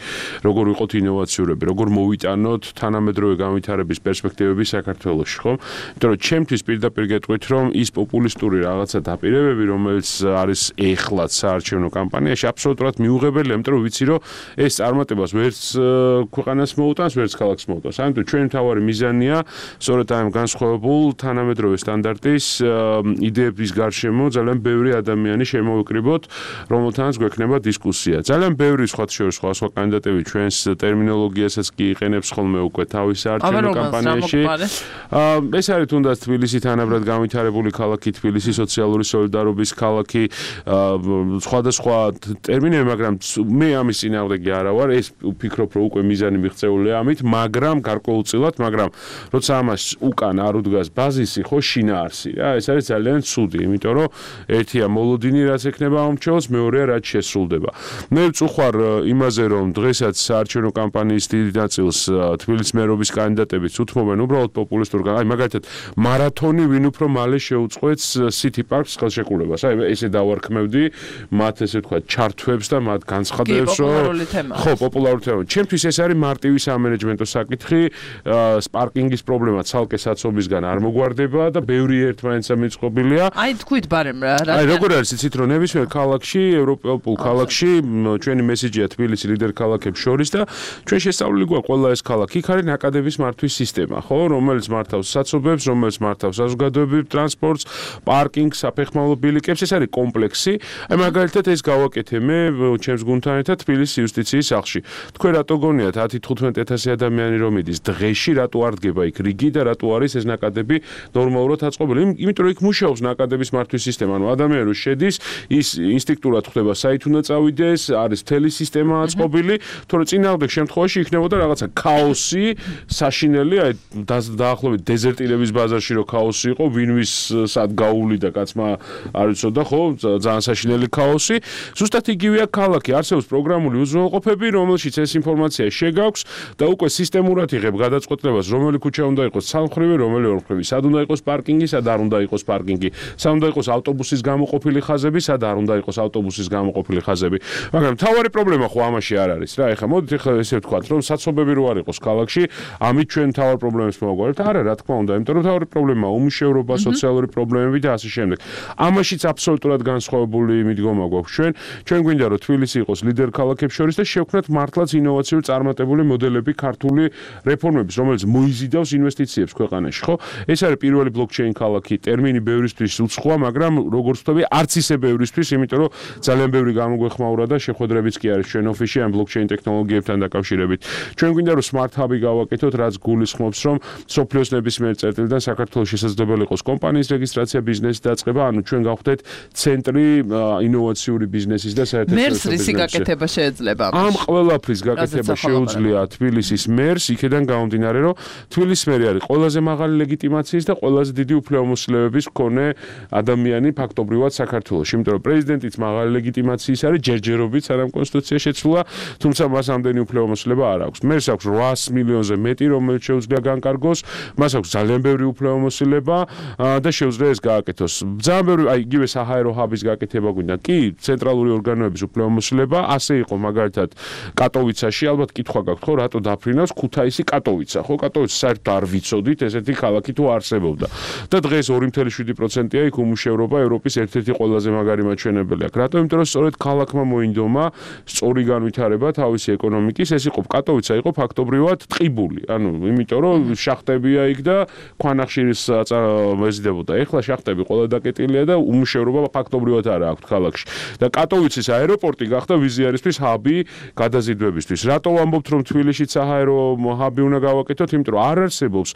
როგორ ვიყოთ ინოვაციურები, როგორ მოვიტანოთ თანამედროვე განვითარების პერსპექტივები საქართველოში, ხო? იმიტომ რომ ჩემთვის პირდაპირ გეტყვით, რომ ის პოპულისტური რაღაცა დაპირებები, რომელიც არის ეხლაც საარჩევნო კამპანიაში, აბსოლუტურად მიუღებელია, იმიტომ რომ ვიცი, რომ ეს წარმატებას ვერც ქვეყანას მოუტანს, ვერც ქალაქს მოუტანს. ამიტომ ჩვენი მთავარი მიზანია სწორედ ამ განსხვავებულ თანამედროვე სტანდარტის იდეების გარშემო ძალიან ბევრი ადამიანი შემოვიკრიბოთ, რომელთანაც გვექნება დისკუსია. ძალიან ბევრი სხვა შორის სხვა სხვა კანდიდატები ჩვენს ტერმინოლოგიასაც კი იყენებს ხოლმე უკვე თავის საარჩევნო კამპანიაში. ეს არის თუნდაც თბილისი თანაბრად განვითარებული ქალაქი, თბილისი სოციალური სოლიდარობის ქალაქი, სხვადასხვა ტერმინები, მაგრამ მე ამის წინააღმდეგი არა ვარ, ეს ვფიქრობ, რომ უკვე მიზანი მიღწეულია ამით, მაგრამ გარკვეულწილად, მაგრამ როცა ამას უკან არ უდგას ბაზისი, ხო, შინაარსი რა, ეს არის ძალიან ცუდი, იმიტომ რომ ერთია მოლოდინი, რაც ექნება ამომრჩეველს, მეორეა რაც შესრულდება. მე ვწუხარ იმაზე, რომ დღესაც საარჩევნო კამპანიის დიდი ნაწილს თბილისის მერობის კანდიდატებიც უთმობენ უბრალოდ პოპულისტურ, აი მაგალითად მარათონი ვინ უფრო მალე შეუწყვეტს City Park-ს ხელშეკრულებას. აი ესე დავარქმევდი მათ ესე ვთქვა ჩართვებს და მათ განცხადებებს, რომ ხო, პოპულარული თემა. ჩემთვის ეს არის მარტივი სამენეჯმენტო საკითხი, პარკინგის პრობლემა ცალკე საცობისგან არ მოგვარდება და ბევრი ერთმანეთსა მიწყობილია. აი თქვით ბარემ რა. აი როგორ არის იცით, რომ ნებისმიერ ქალაქში, ევროპულ ქალაქში, ჩვენი მესიჯია თბილისი ლიდერ ქალაქებს შორის და ჩვენ შესწავლილი გვაქვს ყველა ეს ქალაქი, იქ არის ნაკადების მართვის სისტემა, ხო, რომელიც მართავს საცობებს, რომელიც მართავს საზოგადოებრივ ტრანსპორტს, პარკინგს, საფეხმავლო ბილიკებს, ეს არის კომპლექსი. აი მაგალითად ეს გავაკეთე მე ჩემს გუნდთან ერთად თბილისის იუსტიციის სახლში. თქვენ რატო გონიათ ათი თხუთმეტი ათასი ადამიანი რომ იდის დღეში, რატო არ დგება იქ რიგი და რატო არის ეს ნაკადები ნორმალურად აწყობილი? იმიტომ რომ იქ მუშაობს ნაკადების მართვის სისტემა, ანუ ადამიანი რო შედის, ის ინსტინქტურად ხვდება საით უნდა წავიდეს, არის მთელი სისტემა აწყობილი, თორე წინააღმდეგ შემთხვევაში იქნებოდა რაღაცა ქაოსი, საშინელი, აი დაახლოებით დეზერტირების ბაზარში რო ქაოსი იყო, ვინვის სად გაუვლიდა კაცმა არ იცოდა, ხო, ძალიან საშინელი ქაოსი. ზუსტად იგივეა ქალაქი, არსებობს პროგრამული უზრუნველყოფები, რომელშიც ეს ინფორმაცია შეგაქვს და უკვე სისტემურად იღებ გადაწყვეტილებას, რომელი ქუჩა უნდა იყოს სამხრივი, რომელი ორმხრივი, სად უნდა იყოს პარკინგი, სად არ უნდა იყოს პარკინგი, სად უნდა იყოს ავტობუსის გამოყოფილი ხაზები, სად არ უნდა იყოს ავტობუსის გამოყოფილი ხაზები. მაგრამ მთავარი პრობლემა ხო ამაში არ არის რა. ეხლა მოდით ეხლა ესე ვთქვათ, რომ საცობები რო არ იყოს ქალაქში, ამით ჩვენ მთავარ პრობლემებს მოვაგვარებთ. არა, რა თქმა უნდა, იმიტომ რომ მთავარი პრობლემაა უმუშევრობა, სოციალური პრობლემები და ასე შემდეგ. ამაშიც აბსოლუტურად განსხვავებული მიდგომა გვაქვს ჩვენ. ჩვენ გვინდა რომ თბილისი იყოს ლიდერ ქალაქებს შორის და შევქმნათ მართლაც ინოვაციური წარმატებული მოდელები ქართული რეფორმების, რომელიც მოიზიდავს ინვესტიციებს ქვეყანაში, ხო? ეს არის პირველი ბლოკჩეინ ქალაქი, ტერმინი ბევრისთვის უცხოა, მაგრამ როგორც ვთქვი, არც ისე ბევრისთვის, იმიტომ რომ ძალიან ბევრი გამოგვეხმაურა და შეხვედრებიც კი არის ჩვენ ოფისში ამ ბლოკჩეინ ტექნოლოგიებთან დაკავშირებით. ჩვენ გვინდა რომ smart hub-ი გავაკეთოთ, რაც გულისხმობს, რომ სოფლიოს ნებისმიერ წერტილიდან საქართველოს შესაძლებელი იყოს კომპანიის რეგისტრაცია, ბიზნესის დაწყება, ანუ ჩვენ გავხდეთ ცენტრი ინოვაციური ბიზნესის და საერთაშორისო მერს რისი გაკეთება შეიძლება? ამ ყველაფრის გაკეთება შეუძლია შეუძლია თბილისის მერს იქედან გამომდინარე, რომ თბილისის მერი არის ყველაზე მაღალი ლეგიტიმაციის და ყველაზე დიდი უფლებამოსილების მქონე ადამიანი ფაქტობრივად საქართველოში, იმიტომ რომ პრეზიდენტიც მაღალი ლეგიტიმაციის არის, ჯერჯერობით სანამ კონსტიტუცია შეცვლა, თუმცა მას ამდენი უფლებამოსილება არ აქვს. მერს აქვს ოთხას მილიონზე მეტი, რომელიც შეუძლია განკარგოს, მას აქვს ძალიან ბევრი უფლებამოსილება და შეუძლია ეს გააკეთოს. ძალიან ბევრი, აი, იგივე საჰაერო ჰაბის გაკეთება გვინდა. კი, ცენტრალური ორგანოების უფლებამოსილება, ასე იყო მაგალითად კატოვიცაში, ალბათ კითხვა გაქვთ, ხო, რატო დაფრინავს ქუთაისი კატოვიცა, ხო, კატოვიცა საერთოდ არ ვიცოდით, ესეთი ქალაქი თუ არსებობდა. და დღეს ორი კoma შვიდი პროცენტია იქ უმუშევრობა ევროპის ერთ-ერთი ყველაზე მაგარი მაჩვენებელი აქვს. რატო? იმიტომ რომ სწორედ ქალაქმა მოინდომა სწორი განვითარება თავისი ეკონომიკის, ეს იყო კატოვიცა იყო ფაქტობრივად ტყიბული. ანუ იმიტომ რომ შახტებია იქ და ქვანახშირის მეზიდებოდა. ეხლა შახტები ყველა დაკეტილია და უმუშევრობა ფაქტობრივად არ აქვს ქალაქში. და კატოვიცის აეროპორტი გახდა ვიზიარისთვის ჰაბი გადაზიდვებისთვის. რატო ვამბობთ რომ თბილისშიც საჰაერო ჰაბი უნდა გავაკეთოთ? იმიტომ რომ არ არსებობს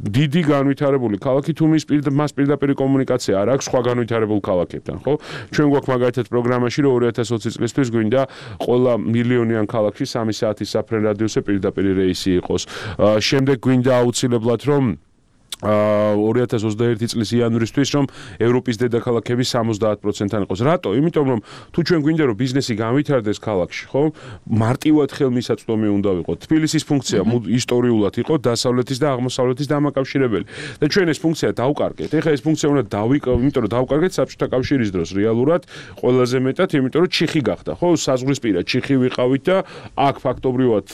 დიდი განვითარებული ქალაქი თუ მის მას პირდაპირ კომუნიკაცია არ აქვს სხვა განვითარებულ ქალაქებთან, ხო? ჩვენ გვაქვს მაგალითად პროგრამაში რომ ორი ათას ოცი წლისთვის გვინდა ყველა მილიონიან ქალაქში სამი საათის საფრენ რადიუსზე პირდაპირ რეისი იყოს. შემდეგ გვინდა აუცილებლად რომ ორი ათას ოცდაერთი წლის იანვრისთვის რომ ევროპის დედაქალაქების სამოცდაათ პროცენტთან იყოს. რატო? იმიტომ რომ თუ ჩვენ გვინდა რომ ბიზნესი განვითარდეს ქალაქში, ხო? მარტივად ხელმისაწვდომი უნდა ვიყოთ. თბილისის ფუნქცია ისტორიულად იყო დასავლეთის და აღმოსავლეთის დამაკავშირებელი. და ჩვენ ეს ფუნქცია დავკარგეთ. ეხლა ეს ფუნქცია უნდა დავიკავოთ, იმიტომ რომ დავკარგეთ საბჭოთა კავშირის დროს რეალურად ყველაზე მეტად, იმიტომ რომ ჩიხი გახდა, ხო? საზღვრისპირა ჩიხი ვიყავით და აქ ფაქტობრივად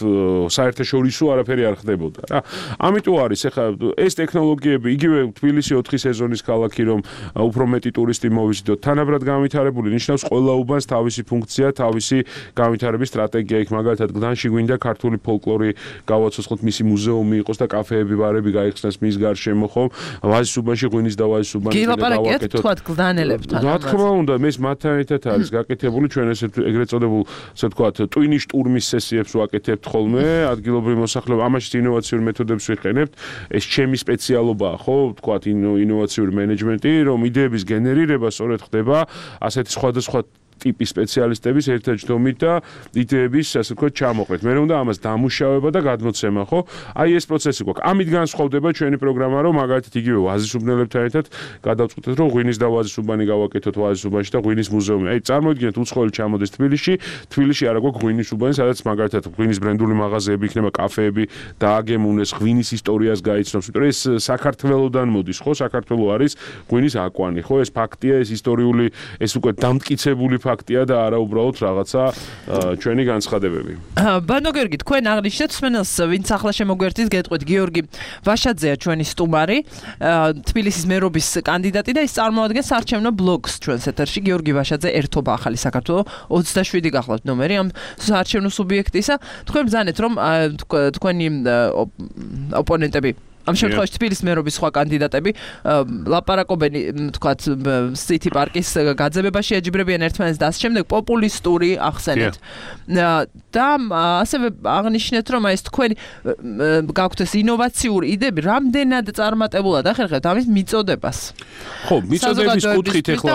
საერთაშორისო არაფერი არ ხდებოდა რა. ამიტომ არის ეხლა ეს ტექნოლოგია იგივე თბილისი ოთხი სეზონის ქალაქი რომ უფრო მეტი ტურისტი მოვიზიდოთ თანაბრად განვითარებული ნიშნავს ყველა უბანს თავისი ფუნქცია, თავისი განვითარების სტრატეგია იქ მაგალითად გდანში გვინდა ქართული ფოლკლორი გავაცოცხლოთ, მისი მუზეუმი იყოს და კაფეები, ბარები გაიხსნას მის გარშემო, ხო? ვაზის უბანში ღვინის და ვაზის უბანი გავაკეთოთ. თქვათ გდანელებთან. რა თქმა უნდა, მეს მათთან ერთად არის გაკეთებული ჩვენ ესე ეგრეთ წოდებულ, ასე ვთქვათ, ტვინის штурმის სესიებს ვაკეთებთ ხოლმე, ადგილობრივი მოსახლეობა, ამაში ინოვაციური მეთოდებს ვიყენებთ. ეს ჩემი სპეციალობა ხო, ვთქვათ, ინოვაციური მენეჯმენტი, რომ იდეების გენერირება სწორედ ხდება ასეთი სხვადასხვა ტიპის სპეციალისტების ერთაჯდომით და იდეების, ასე ვთქვათ, ჩამოყრით. მე უნდა ამას დამუშავება და გადმოცემა, ხო? აი ეს პროცესი გვაქვს. ამით განსხვავდება ჩვენი პროგრამა, რომ მაგალითად იგივე ვაზის უბნელებთან ერთად გადავწყვეტეთ, რომ ღვინის და ვაზის უბანი გავაკეთოთ ვაზის უბანში და ღვინის მუზეუმი. აი წარმოიდგინეთ, უცხოელი ჩამოდეს თბილისში, თბილისში არა გვაქვს ღვინის უბანი, სადაც მაგალითად ღვინის ბრენდული მაღაზიები იქნება, კაფეები დააგემუნეს, ღვინის ისტორიას გაიცნობს. იმიტომ ეს საქართველოსდან მოდის, ხო? საქართველო არის ღვინის აკვანი, ხო? ეს ფაქტია, ეს ისტორიული, ეს უკვე დამტკიცებული ფაქტია და არა უბრალოდ რაღაცა ჩვენი განცხადებები. ბანო გიორგი, თქვენ აღნიშნეთ მსმენელს, ვინც ახლა შემოგვერთის, გეტყვით, გიორგი ვაშაძეა ჩვენი სტუმარი, თბილისის მერობის კანდიდატი და ის წარმოადგენს არჩევნო ბლოკს ჩვენს ეთერში. გიორგი ვაშაძე, ერთობა ახალი საქართველო, ოცდაშვიდი გახლავთ ნომერი ამ არჩევნო სუბიექტისა. თქვენ ბრძანეთ, რომ თქვენი ოპონენტები ამ შემთხვევაში თბილისის მერობის სხვა კანდიდატები ლაპარაკობენ, თქვათ, სიტი პარკის გაძებებაში ეჯიბრებიან ერთმანეთს და ამ შემდეგ პოპულისტური ახსენეთ. და ასევე აღნიშნეთ, რომ ეს თქვენი გაქვთ ეს ინოვაციური იდეები, რამდენად წარმატებულად ახერხებთ ამის მიწოდებას. ხო, მიწოდების კუთხით ეხლა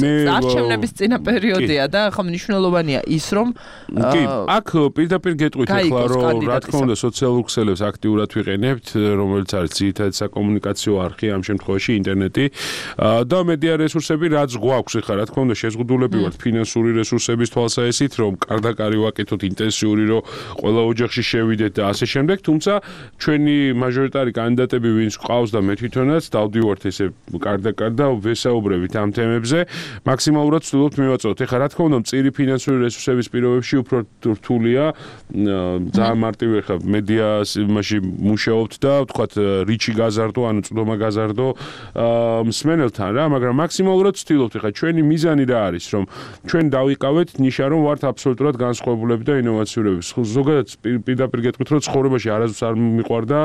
მე არჩევნების წინა პერიოდია და ახლა მნიშვნელოვანია ის, რომ კი, აქ პირდაპირ გეტყვით ეხლა, რომ რა თქმა უნდა სოციალურ ქსელებს აქტიურად ვიყენებთ, რომელიც არის ძირითადად საკომუნიკაციო არხი ამ შემთხვევაში ინტერნეტი და მედია რესურსები, რაც გვაქვს ეხლა, რა თქმა უნდა შეზღუდულები ვართ ფინანსური რესურსების თვალსაჩინით, რომ კარდაკარი ვაკეთოთ ინტენსიური, რომ ყველა ოჯახში შევიდეთ და ასე შემდეგ, თუმცა ჩვენი მაჟორიტარი კანდიდატები ვინც ყავს და მე თვითონაც დავდივართ ესე კარდაკარ და ვესაუბრებით ამ თემებზე, მაქსიმალურად ვცდილობთ მივაწოდოთ. ეხლა რა თქმა უნდა მწირი ფინანსური რესურსების პირობებში უფრო რთულია, ძალიან მარტივი ეხლა მედიაში მუშაობთ და ვთქვათ რიჩი გაზარდო, ანუ წვდომა გაზარდო მსმენელთან რა, მაგრამ მაქსიმალურად ვცდილობთ ეხლა ჩვენი მიზანი რა არის, რომ ჩვენ დავიყავეთ ნიშა, რომ ვართ აბსოლუტურად განსხვავებულები და ინოვაციურები. ზოგადად პირდაპირ გეტყვით, რომ ცხოვრებაში არასდროს არ მიყვარდა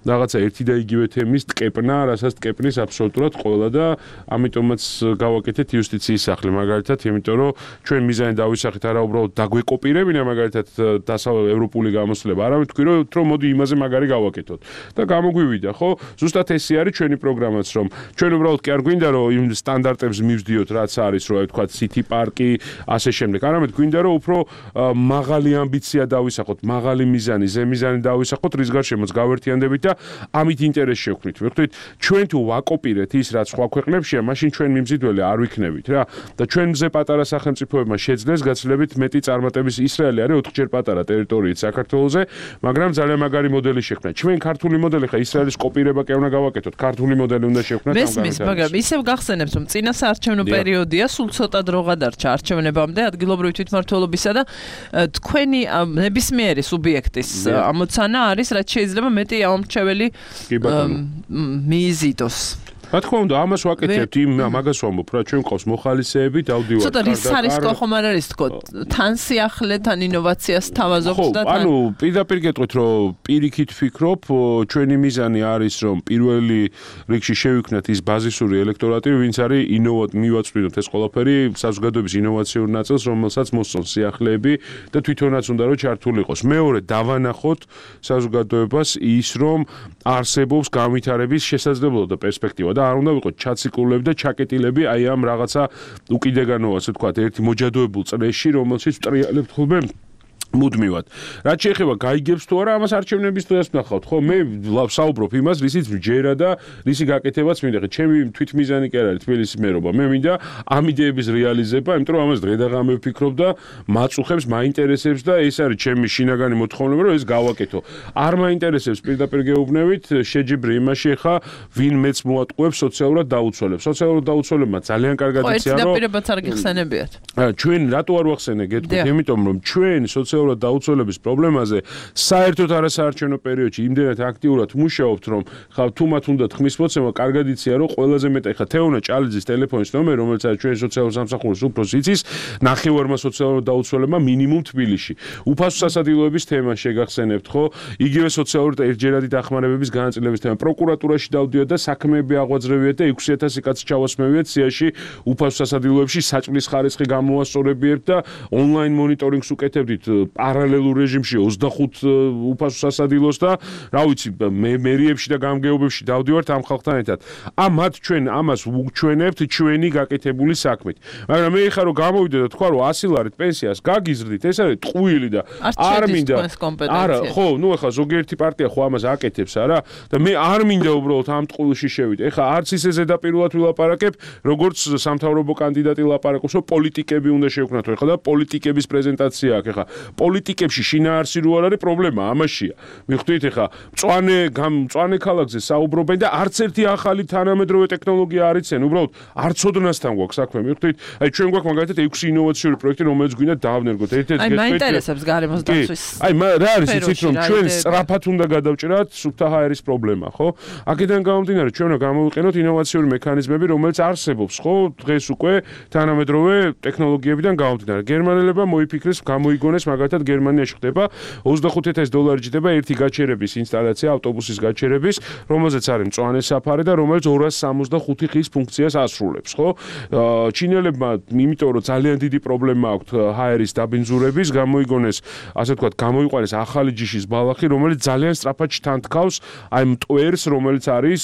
რაღაცა ერთი და იგივე თემის ტკეპნა, რასაც ტკეპნის აბსოლუტურად ყველა და ამიტომაც გავაკეთეთ იუსტიციის სახლი მაგალითად, იმიტომ რომ ჩვენ მიზანი დავისახეთ არა უბრალოდ დაგვეკოპირებინა მაგალითად დასავლეთ ევროპული გამოსვლება, არამედ თქვი რომ მოდი იმაზე მაგარი გავაკეთოთ. და გამოგვივიდა, ხო? ზუსტად ესე არის ჩვენი პროგრამაც, რომ ჩვენ უბრალოდ კი არ გვინდა რომ იმ სტანდარტებს მივსდიოთ, რაც არის, რომ აი თქვა City Park-ი, ასე შემდეგ. არამედ გვინდა რომ უფრო მაღალი ამბიცია დავისახოთ, მაღალი მიზანი, ზემიზანი დავისახოთ, რის გარშემოც გავერთიანდებით და ამით ინტერესს შევქმნით. ვიხდით, ჩვენ თუ ვაკოპირეთ ის, რაც სხვა ქვეყნებშია, მაშინ ჩვენ მიმზიდველი არ ვიქნებით რა. და ჩვენ მზე პატარა სახელმწიფოებმა შეძლეს გაცილებით მეტი წარმატების ისრაელი არის ოთხჯერ პატარა ტერიტორიით საქართველოზე, მაგრამ ძალიან მაგარი მოდელი შექმნა. ჩვენ ქართული მოდელი ხა ისრაელის კოპირება კი უნდა გავაკეთოთ, ქართული მოდელი უნდა შევქმნათ ამ გამოცემას. მესმის, მაგრამ ისევ გახსენებთ, რომ წინა საარჩევნო პერიოდია, სულ ცოტა დრო გადარჩა არჩევნებამდე ადგილობრივი თვითმმართველობისა და თქვენი ნებისმიერი სუბიექტის ამოცანა არის, რაც შეიძლება მეტი ამორჩეველი მიიზიდოს. რა თქმა უნდა, ამას ვაკეთებთ, იმ მაგას ვამბობ, რა ჩვენ ყავს მოხალისეები, დავდივართ. ცოტა რის არის ხომ არ არის თქო, თან სიახლე, თან ინოვაციას თავაზობთ და თან. ანუ პირდაპირ გეტყვით, რომ პირიქით ვფიქრობ, ჩვენი მიზანი არის, რომ პირველი რიგში შევიქნათ ის ბაზისური ელექტორატი, ვინც არის ინოვატ მივაწვდინოთ ეს ყველაფერი საზოგადოების ინოვაციურ ნაწილს, რომელსაც მოსწონს სიახლეები და თვითონაც უნდა რომ ჩართული იყოს. მეორე, დავანახოთ საზოგადოებას ის, რომ არსებობს განვითარების შესაძლებლობა და პერსპექტივა. და არ უნდა ვიყოთ ჩაციკულები და ჩაკეტილები აი ამ რაღაცა უკიდეგანო ასე ვთქვათ ერთი მოჯადოებულ წრეში რომელშიც ვტრიალებთ ხოლმე მუდმივად. რაც შეეხება გაიგებს თუ არა ამას არჩევნების დღეს ვნახავთ, ხო? მე ვსაუბრობ იმას, რისიც ვჯერა და რისი გაკეთებაც მინდა. ჩემი თვითმიზანი კი არ არის თბილისის მერობა. მე მინდა ამ იდეების რეალიზება, იმიტომ რომ ამას დღე და ღამე ვფიქრობ და მაწუხებს, მაინტერესებს და ეს არის ჩემი შინაგანი მოთხოვნება, რომ ეს გავაკეთო. არ მაინტერესებს პირდაპირ გეუბნებით, შეჯიბრი იმაში ხა ვინ მეც მოატყუებს სოციალურად დაუცველებს. სოციალურად დაუცველებმა ძალიან კარგად იციან, რომ პირებაც არ გიხსენებიათ. ჩვენ რატო არ ვახსენე გეტყვით, იმიტომ რომ ჩვენ სოციალურად დაუცველების პრობლემაზე საერთოდ არასაარჩევნო პერიოდში იმდენად აქტიურად მუშაობთ, რომ ხა თუ მათ უნდათ ხმის მოცემა, კარგად იციან, რომ ყველაზე მეტად ხა თეონა ჭალიძის ტელეფონის ნომერი, რომელიც არის ჩვენი სოციალურ სამსახურის უფროსი იცის, ნახევარმა სოციალურ დაუცველებმა მინიმუმ თბილისში. უფასო სასადილოების თემა შეგახსენებთ, ხო? იგივე სოციალური ერთჯერადი დახმარებების განაწილების თემა. პროკურატურაში დავდიოთ და საქმეები აღვაძრევიათ და ექვსი ათასი კაცი ჩავასმევიათ სიაში უფასო სასადილოებში საჭმლის ხარისხი გამოვასწორებიათ და ონლაინ მონიტორინგს უკეთებდით პარალელურ რეჟიმში ოცდახუთ უფასო სასადილოს და რა ვიცი მე მერიებში და გამგეობებში დავდივართ ამ ხალხთან ერთად. ამათ ჩვენ ამას ვუჩვენებთ ჩვენი გაკეთებული საქმით. მაგრამ მე ხარ რომ გამოვიდე და თქვა რომ ასი ლარით პენსიას გაგიზრდით, ეს არის ტყუილი და არ მინდა. არა, ხო, ნუ ახლა ზოგიერთი პარტია ხო ამას აკეთებს, არა? და მე არ მინდა უბრალოდ ამ ტყუილში შევიდე. ეხლა არც ისე ზედაპირულად ვილაპარაკებ, როგორც სამთავრობო კანდიდატი ლაპარაკობს, რომ პოლიტიკები უნდა შევქნათო. ეხლა და პოლიტიკების პრეზენტაცია აქვს ეხლა. პოლიტიკებში შინაარსი რო არ არის პრობლემა ამაშია. მიხვდით ეხა მწვანე მწვანე ქალაქზე საუბრობენ და არც ერთი ახალი თანამედროვე ტექნოლოგია არ იციან, უბრალოდ არც ოდნასთან გვაქვს საქმე. მიხვდით, აი ჩვენ გვაქვს მაგალითად ექვსი ინოვაციური პროექტი, რომელიც გვინდა დავნერგოთ. ერთ-ერთი აი მაინტერესებს გარემოს დაცვის. აი რა არის იცით რომ ჩვენ სწრაფად უნდა გადავჭრათ სუფთა ჰაერის პრობლემა, ხო? აქედან გამომდინარე ჩვენ უნდა გამოვიყენოთ ინოვაციური მექანიზმები, რომელიც არსებობს, ხო? დღეს უკვე თანამედროვე ტექნოლოგიებიდან გამომდინარე. გერმანელებმა მოიფიქრეს, გამოიგონეს მაგალითად გერმანიაში ხდება ოცდახუთ ათასი დოლარი ჯდება ერთი გაჩერების ინსტალაცია, ავტობუსის გაჩერების, რომელზეც არის მწვანე საფარი და რომელიც ორას სამოცდახუთი ხის ფუნქციას ასრულებს, ხო? ჩინელებმა, იმიტომ რომ ძალიან დიდი პრობლემა აქვთ ჰაერის დაბინძურების, გამოიგონეს, ასე ვთქვათ, გამოიყვანეს ახალი ჯიშის ბალახი, რომელიც ძალიან სწრაფად შთანთქავს აი მტვერს, რომელიც არის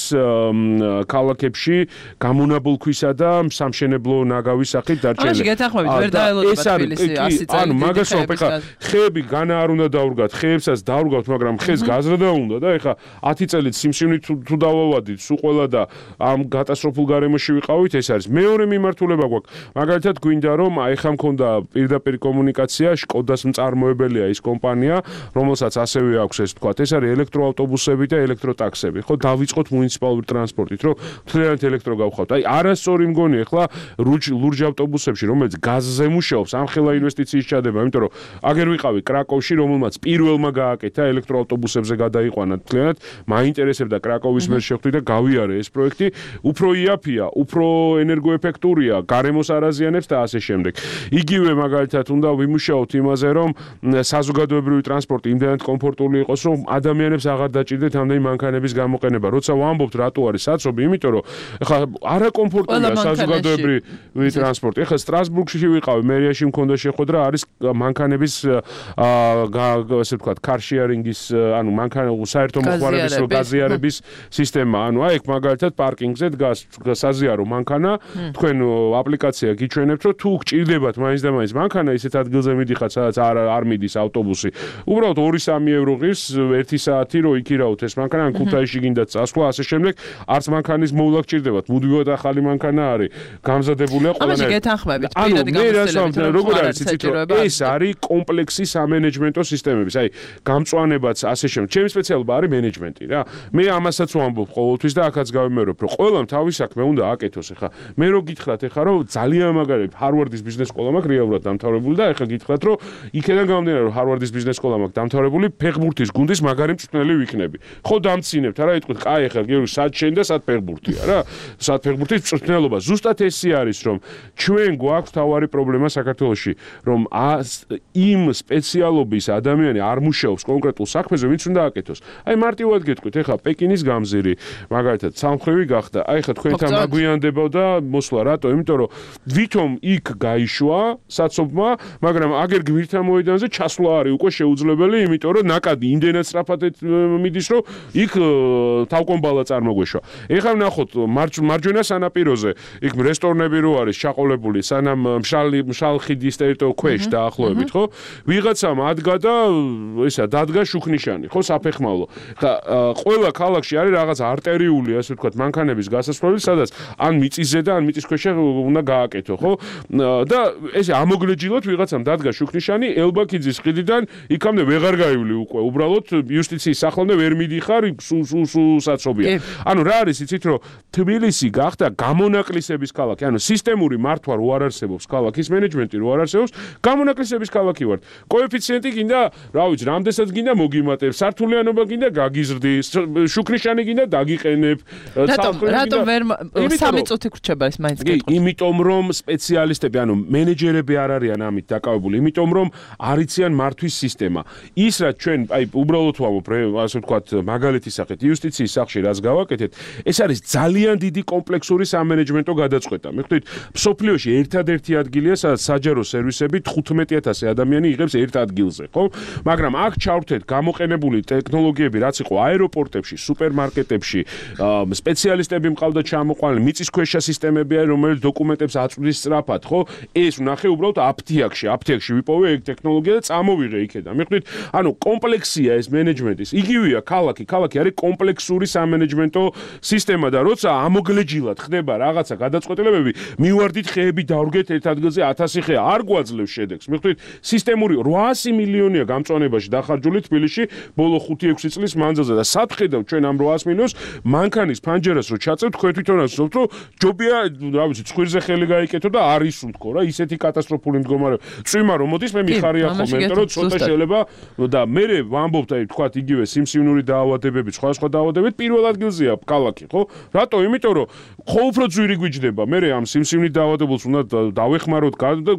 ქალაქებში გამონაბოლ ქვისა და სამშენებლო ნაგავის სახით დარჩენილი. ამაში გეთანხმებით, ვერ დაელოდება თბილისი ასი წელი. ანუ მაგას ვამბობ, ეხლა ხეები განა არ უნდა დაურგათ, ხეებსაც დაურგავთ, მაგრამ ხეს გაზრდა უნდა და ეხლა ათი წელით სიმსივნით თუ დავავადით, სულ ყველა და ამ კატასტროფულ გარემოში ვიყავით, ეს არის მეორე მიმართულება გვაქვს. მაგალითად გვინდა რომ აი ხა მქონდა პირდაპირ კომუნიკაცია, შკოდას მწარმოებელია ის კომპანია, რომელსაც ასევე აქვს ეს თქვა, ეს არის ელექტროავტობუსები და ელექტროტაქსები, ხო, დავიწყოთ მუნიციპალური ტრანსპორტით, რომ მთლიანად ელექტრო გავხავთ. აი არასწორი მგონი ეხლა ლურჯ ავტობუსებში, რომელიც გაზზე მუშაობს, ამხელა ინვესტიციის ჩადება, იმიტომ რომ აგერ ვიყავი კრაკოვში, რომელმაც პირველმა გააკეთა ელექტროავტობუსებზე გადაიყვანა მთლიანად, მაინტერესებდა კრაკოვის მერ შეხვდი და გავიარე ეს პროექტი, უფრო იაფია, უფრო ენერგოეფექტურია, გარემოს არ აზიანებს და ასე შემდეგ. იგივე მაგალითად უნდა ვიმუშაოთ იმაზე, რომ საზოგადოებრივი ტრანსპორტი იმდენად კომფორტული იყოს, რომ ადამიანებს აღარ დაჭირდეთ ამდენი მანქანების გამოყენება. როცა ვამბობთ, რატო არის საცობი, იმიტომ რომ ეხლა არაკომფორტულია საზოგადოებრივი ტრანსპორტი. ეხლა სტრასბურგში ვიყავი, მერიაში მქონდა შეხვედრა, არის მანქანების ასე ვთქვათ, car sharing-ის, ანუ მანქანა საერთო მოხმარების გაზიარების სისტემა. ანუ აი ეგ მაგალითად პარკინგზე დგას საზიარო მანქანა, თქვენ აპლიკაცია გიჩვენებთ, რომ თუ გჭირდებათ მაინც და მაინც მანქანა, ისეთ ადგილზე მიდიხართ, სადაც არ არ მიდის ავტობუსი. უბრალოდ ორი სამი ევრო ღირს ერთი საათი რო იქირავთ ეს მანქანა, ან ქუთაისში გინდათ წასვლა, ასე შემდეგ, არც მანქანის მოვლა გჭირდებათ. მუდმივად ახალი მანქანა არის, გამზადებულია ყველანაირად. ამაში გეთანხმებით, პირადი გამოცდილებით, როგორ არის იცით, რომ ეს არის კომპლექსი სამენეჯმენტო სისტემების, აი, გამწვანებაც ასე შემდეგ. ჩემი სპეციალობა არის მენეჯმენტი რა. მე ამასაც ვამბობ ყოველთვის და აქაც გავიმეორებ, რომ ყველამ თავის საქმე უნდა აკეთოს. ეხლა მე რო გითხრათ ეხლა რომ ძალიან მაგარი ჰარვარდის ბიზნეს სკოლა მაქვს რეალურად დამთავრებული და ეხლა გითხრათ რომ იქიდან გამომდინარე რომ ჰარვარდის ბიზნეს სკოლა მაქვს დამთავრებული, ფეხბურთის გუნდის მაგარი მწვრთნელი ვიქნები. ხო დამცინებთ არა, იტყვით, კაი ეხლა გიორგი სად შენ და სად ფეხბურთია რა. სად ფეხბურთის მწვრთნელობა. ზუსტად ესე არის რომ ჩვენ გვაქვს თავარი პრობლემა საქართველოში, რომ იმ სპეციალობის ადამიანი არ მუშაობს კონკრეტულ საქმეზე, ვინც უნდა აკეთოს. აი მარტივად გეტყვით, ეხლა პეკინის გამზირი, მაგალითად, სამხრივი გახდა. აი ეხლა თქვენთან მაგვიანდებოდა მოსვლა, რატო? იმიტომ რომ ვითომ იქ გაიშვა საცობმა, მაგრამ აგერ გვირთა მოედანზე ჩასვლა არის უკვე შეუძლებელი, იმიტომ რომ ნაკადი იმდენად სწრაფად მიდის, რომ იქ თავკომბალა წარმოგვეშვა. ეხლა ვნახოთ მარჯვენა სანაპიროზე, იქ რესტორნები რო არის ჩაყოლებული, სანამ მშალი მშალხიდის ტერიტორიულ ქვეშ დაახლოებით, ხო? ვიღაცამ ადგა და ისა დადგა შუქნიშანი, ხო, საფეხმავლო. ხა ყველა ქალაქში არის რაღაც არტერიული, ასე ვთქვათ, მანქანების გასასვლელი, სადაც ან მიწისზე და ან მიწის ქვეშ უნდა გააკეთო, ხო? და ესე ამოგლეჯილოთ ვიღაცამ დადგა შუქნიშანი, ელბაქიძის ხიდიდან იქამდე ვეღარ გაივლი უკვე. უბრალოდ იუსტიციის სახლამდე ვერ მიდიხარ, სულ სულ სულ საცობია. ანუ რა არის, იცით, რომ თბილისი გახდა გამონაკლისების ქალაქი, ანუ სისტემური მართვა რო არ არსებობს ქალაქის მენეჯმენტი რო არ არსებობს, გამონაკლისების ქალაქი ვართ. კოეფიციენტი გინდა, რა ვიცი, რამდენსაც გინდა მოგიმატებ, სართულიანობა გინდა გაგიზრდის, შუქნიშანი გინდა დაგიყენებ. რატომ რატომ ვერ სამი წუთი გრჩება ეს მაინც გეტყვით? იმიტომ რომ სპეციალისტები, ანუ მენეჯერები არ არიან ამით დაკავებული, იმიტომ რომ არ იციან მართვის სისტემა. ის რაც ჩვენ, აი, უბრალოდ ვამბობ, ასე ვთქვათ, მაგალითის სახით, იუსტიციის სახლში რაც გავაკეთეთ, ეს არის ძალიან დიდი კომპლექსური სამენეჯმენტო გადაწყვეტა. მე ხვდით, მსოფლიოში ერთადერთი ადგილია, სადაც საჯარო სერვისები თხუთმეტი ათასი ადამიანი იღებს ერთ ადგილზე, ხო? მაგრამ აქ ჩავრთეთ გამოყენებული ტექნოლოგიები, რაც იყო აეროპორტებში, სუპერმარკეტებში, სპეციალისტები მყავდა ჩამოყვანილი, მიწისქვეშა სისტემები არის, რომელიც დოკუმენტებს აწვდის სწრაფად, ხო? ეს ვნახე უბრალოდ აფთიაქში, აფთიაქში ვიპოვე ეგ ტექნოლოგია და წამოვიღე იქიდან. მე ხვდით, ანუ კომპლექსია ეს მენეჯმენტის. იგივეა ქალაქი, ქალაქი არის კომპლექსური სამენეჯმენტო სისტემა და როცა ამოგლეჯილად ხდება რაღაცა გადაწყვეტილებები, მივარდით ხეები დავრგეთ ერთ ადგილზე ათასი ხე, არ გვაძლევს შედეგს. მე ხვდით, სისტემური რვაასი მილიონია გამწვანებაში დახარჯული თბილისში ბოლო ხუთი ექვსი წლის მანძილზე და სად ხედავთ ჩვენ ამ რვაას მილიონს მანქანის ფანჯერას რო ჩაწევთ, თქვენ თვითონაც ვთქვით, რომ ჯობია, რა ვიცი, ცხვირზე ხელი გაიკეთო და არ ისუნთქო რა, ისეთი კატასტროფული მდგომარეობა. წვიმა რომ მოდის, მე მიხარია ხოლმე, იმიტომ რომ ცოტა შეიძლება და მე ვამბობთ, აი, თქვათ, იგივე სიმსივნური დაავადებები, სხვა სხვა დაავადებები პირველ ადგილზეა ქალაქი, ხო? რატო? იმიტომ რომ ხო უფრო ძვირი გვიჯდება. მე ამ სიმსივნით დაავადებულს უნდა დავეხმაროთ,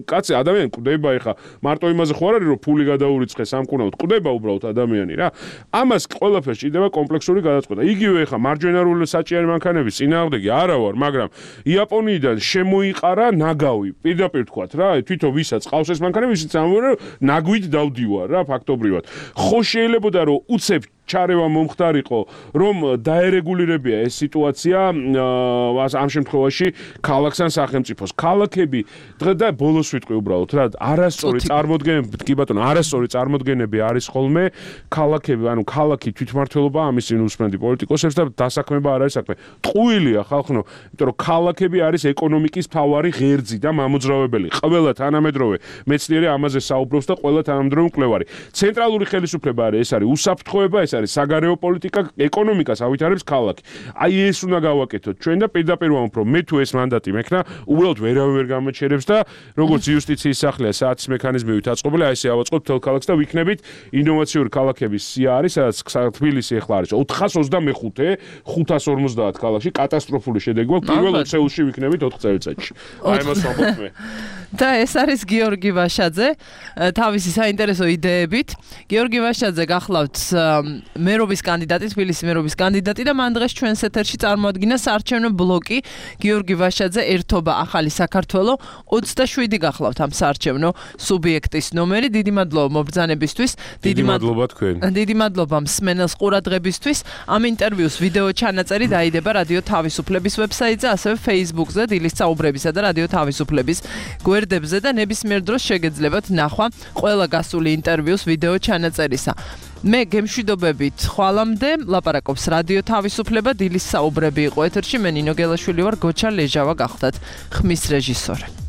კაცი ადამიანი კვდება ეხა მარტო იმაზე ხო არ არის, რომ ფული გადაურიცხე სამკურნალოდ, კვდება უბრალოდ ადამიანი რა. ამას ყველაფერს ჭირდება კომპლექსური გადაწყვეტა. იგივე ეხა მარჯვენარული საჭიარი მანქანების წინააღმდეგი არა ვარ, მაგრამ იაპონიიდან შემოიყარა ნაგავი. პირდაპირ თქვათ რა, თვითონ ვისაც ყავს ეს მანქანები, ისიც ამბობენ, რომ ნაგვით დავდივარ რა, ფაქტობრივად. ხო შეიძლებოდა რომ უცებ ჩარევა მომხდარიყო, რომ დაერეგულირებია ეს სიტუაცია ამ შემთხვევაში ქალაქს ან სახელმწიფოს. ქალაქები დღე და ბოლოს ვიტყვი უბრალოდ რა, არასწორი წარმოდგენები, კი ბატონო, არასწორი წარმოდგენები არის ხოლმე ქალაქები, ანუ ქალაქი თვითმმართველობა ამის წინ უსმენდი პოლიტიკოსებს და დასაქმება არ არის საქმე. ტყუილია ხალხო, იმიტომ რომ ქალაქები არის ეკონომიკის მთავარი ღერძი და მამოძრავებელი. ყველა თანამედროვე მეცნიერი ამაზე საუბრობს და ყველა თანამედროვე მკვლევარი. ცენტრალური ხელისუფლება არის, ეს არის უსაფრთხოება, ეს არის საგარეო პოლიტიკა, ეკონომიკას ავითარებს ქალაქი. აი ეს უნდა გავაკეთოთ ჩვენ და პირდაპირ ვამბობ, რომ მე თუ ეს მანდატი მექნა, უბრალოდ ვერავინ ვერ გამოჩერებს და როგორც იუსტიციის სახლია საათის მექანიზმივით აწყობილი, აი ესე ავაწყობთ თელ ქალაქს და ვიქნებით ინოვაციური ქალაქების სია არის, სადაც თბილისი ახლა არის ოთხას ოცდამეხუთე, ხუთას ორმოცდაათ ქალაქში კატასტროფული შედეგი გვაქვს, პირველ ოცეულში ვიქნებით ოთხ წელიწადში. აი მას ვამბობ მე. და ეს არის გიორგი ვაშაძე, თავისი საინტერესო იდეებით. გიორგი ვაშაძე გახლავთ მერობის კანდიდატი, თბილისის მერობის კანდიდატი და მან დღეს ჩვენს ეთერში წარმოადგინა საარჩევნო ბლოკი გიორგი ვაშაძე ერთობა ახალი საქართველო ოცდაშვიდი გახლავთ ამ საარჩევნო სუბიექტის ნომერი. დიდი მადლობა მობრძანებისთვის. დიდი მადლობა თქვენ. დიდი მადლობა მსმენელს ყურადღებისთვის. ამ ინტერვიუს ვიდეო ჩანაწერი დაიდება რადიო თავისუფლების ვებსაიტზე, ასევე Facebook-ზე, დილის საუბრებისა და რადიო თავისუფლების გვერდებზე და ნებისმიერ დროს შეგეძლებათ ნახვა ყველა გასული ინტერვიუს ვიდეო ჩანაწერისა. მე გემშვიდობებით ხვალამდე ლაპარაკობს რადიო თავისუფლება, დილის საუბრები იყო ეთერში, მე ნინო გელაშვილი ვარ, გოჩა ლეჟავა გახლდათ ხმის რეჟისორი.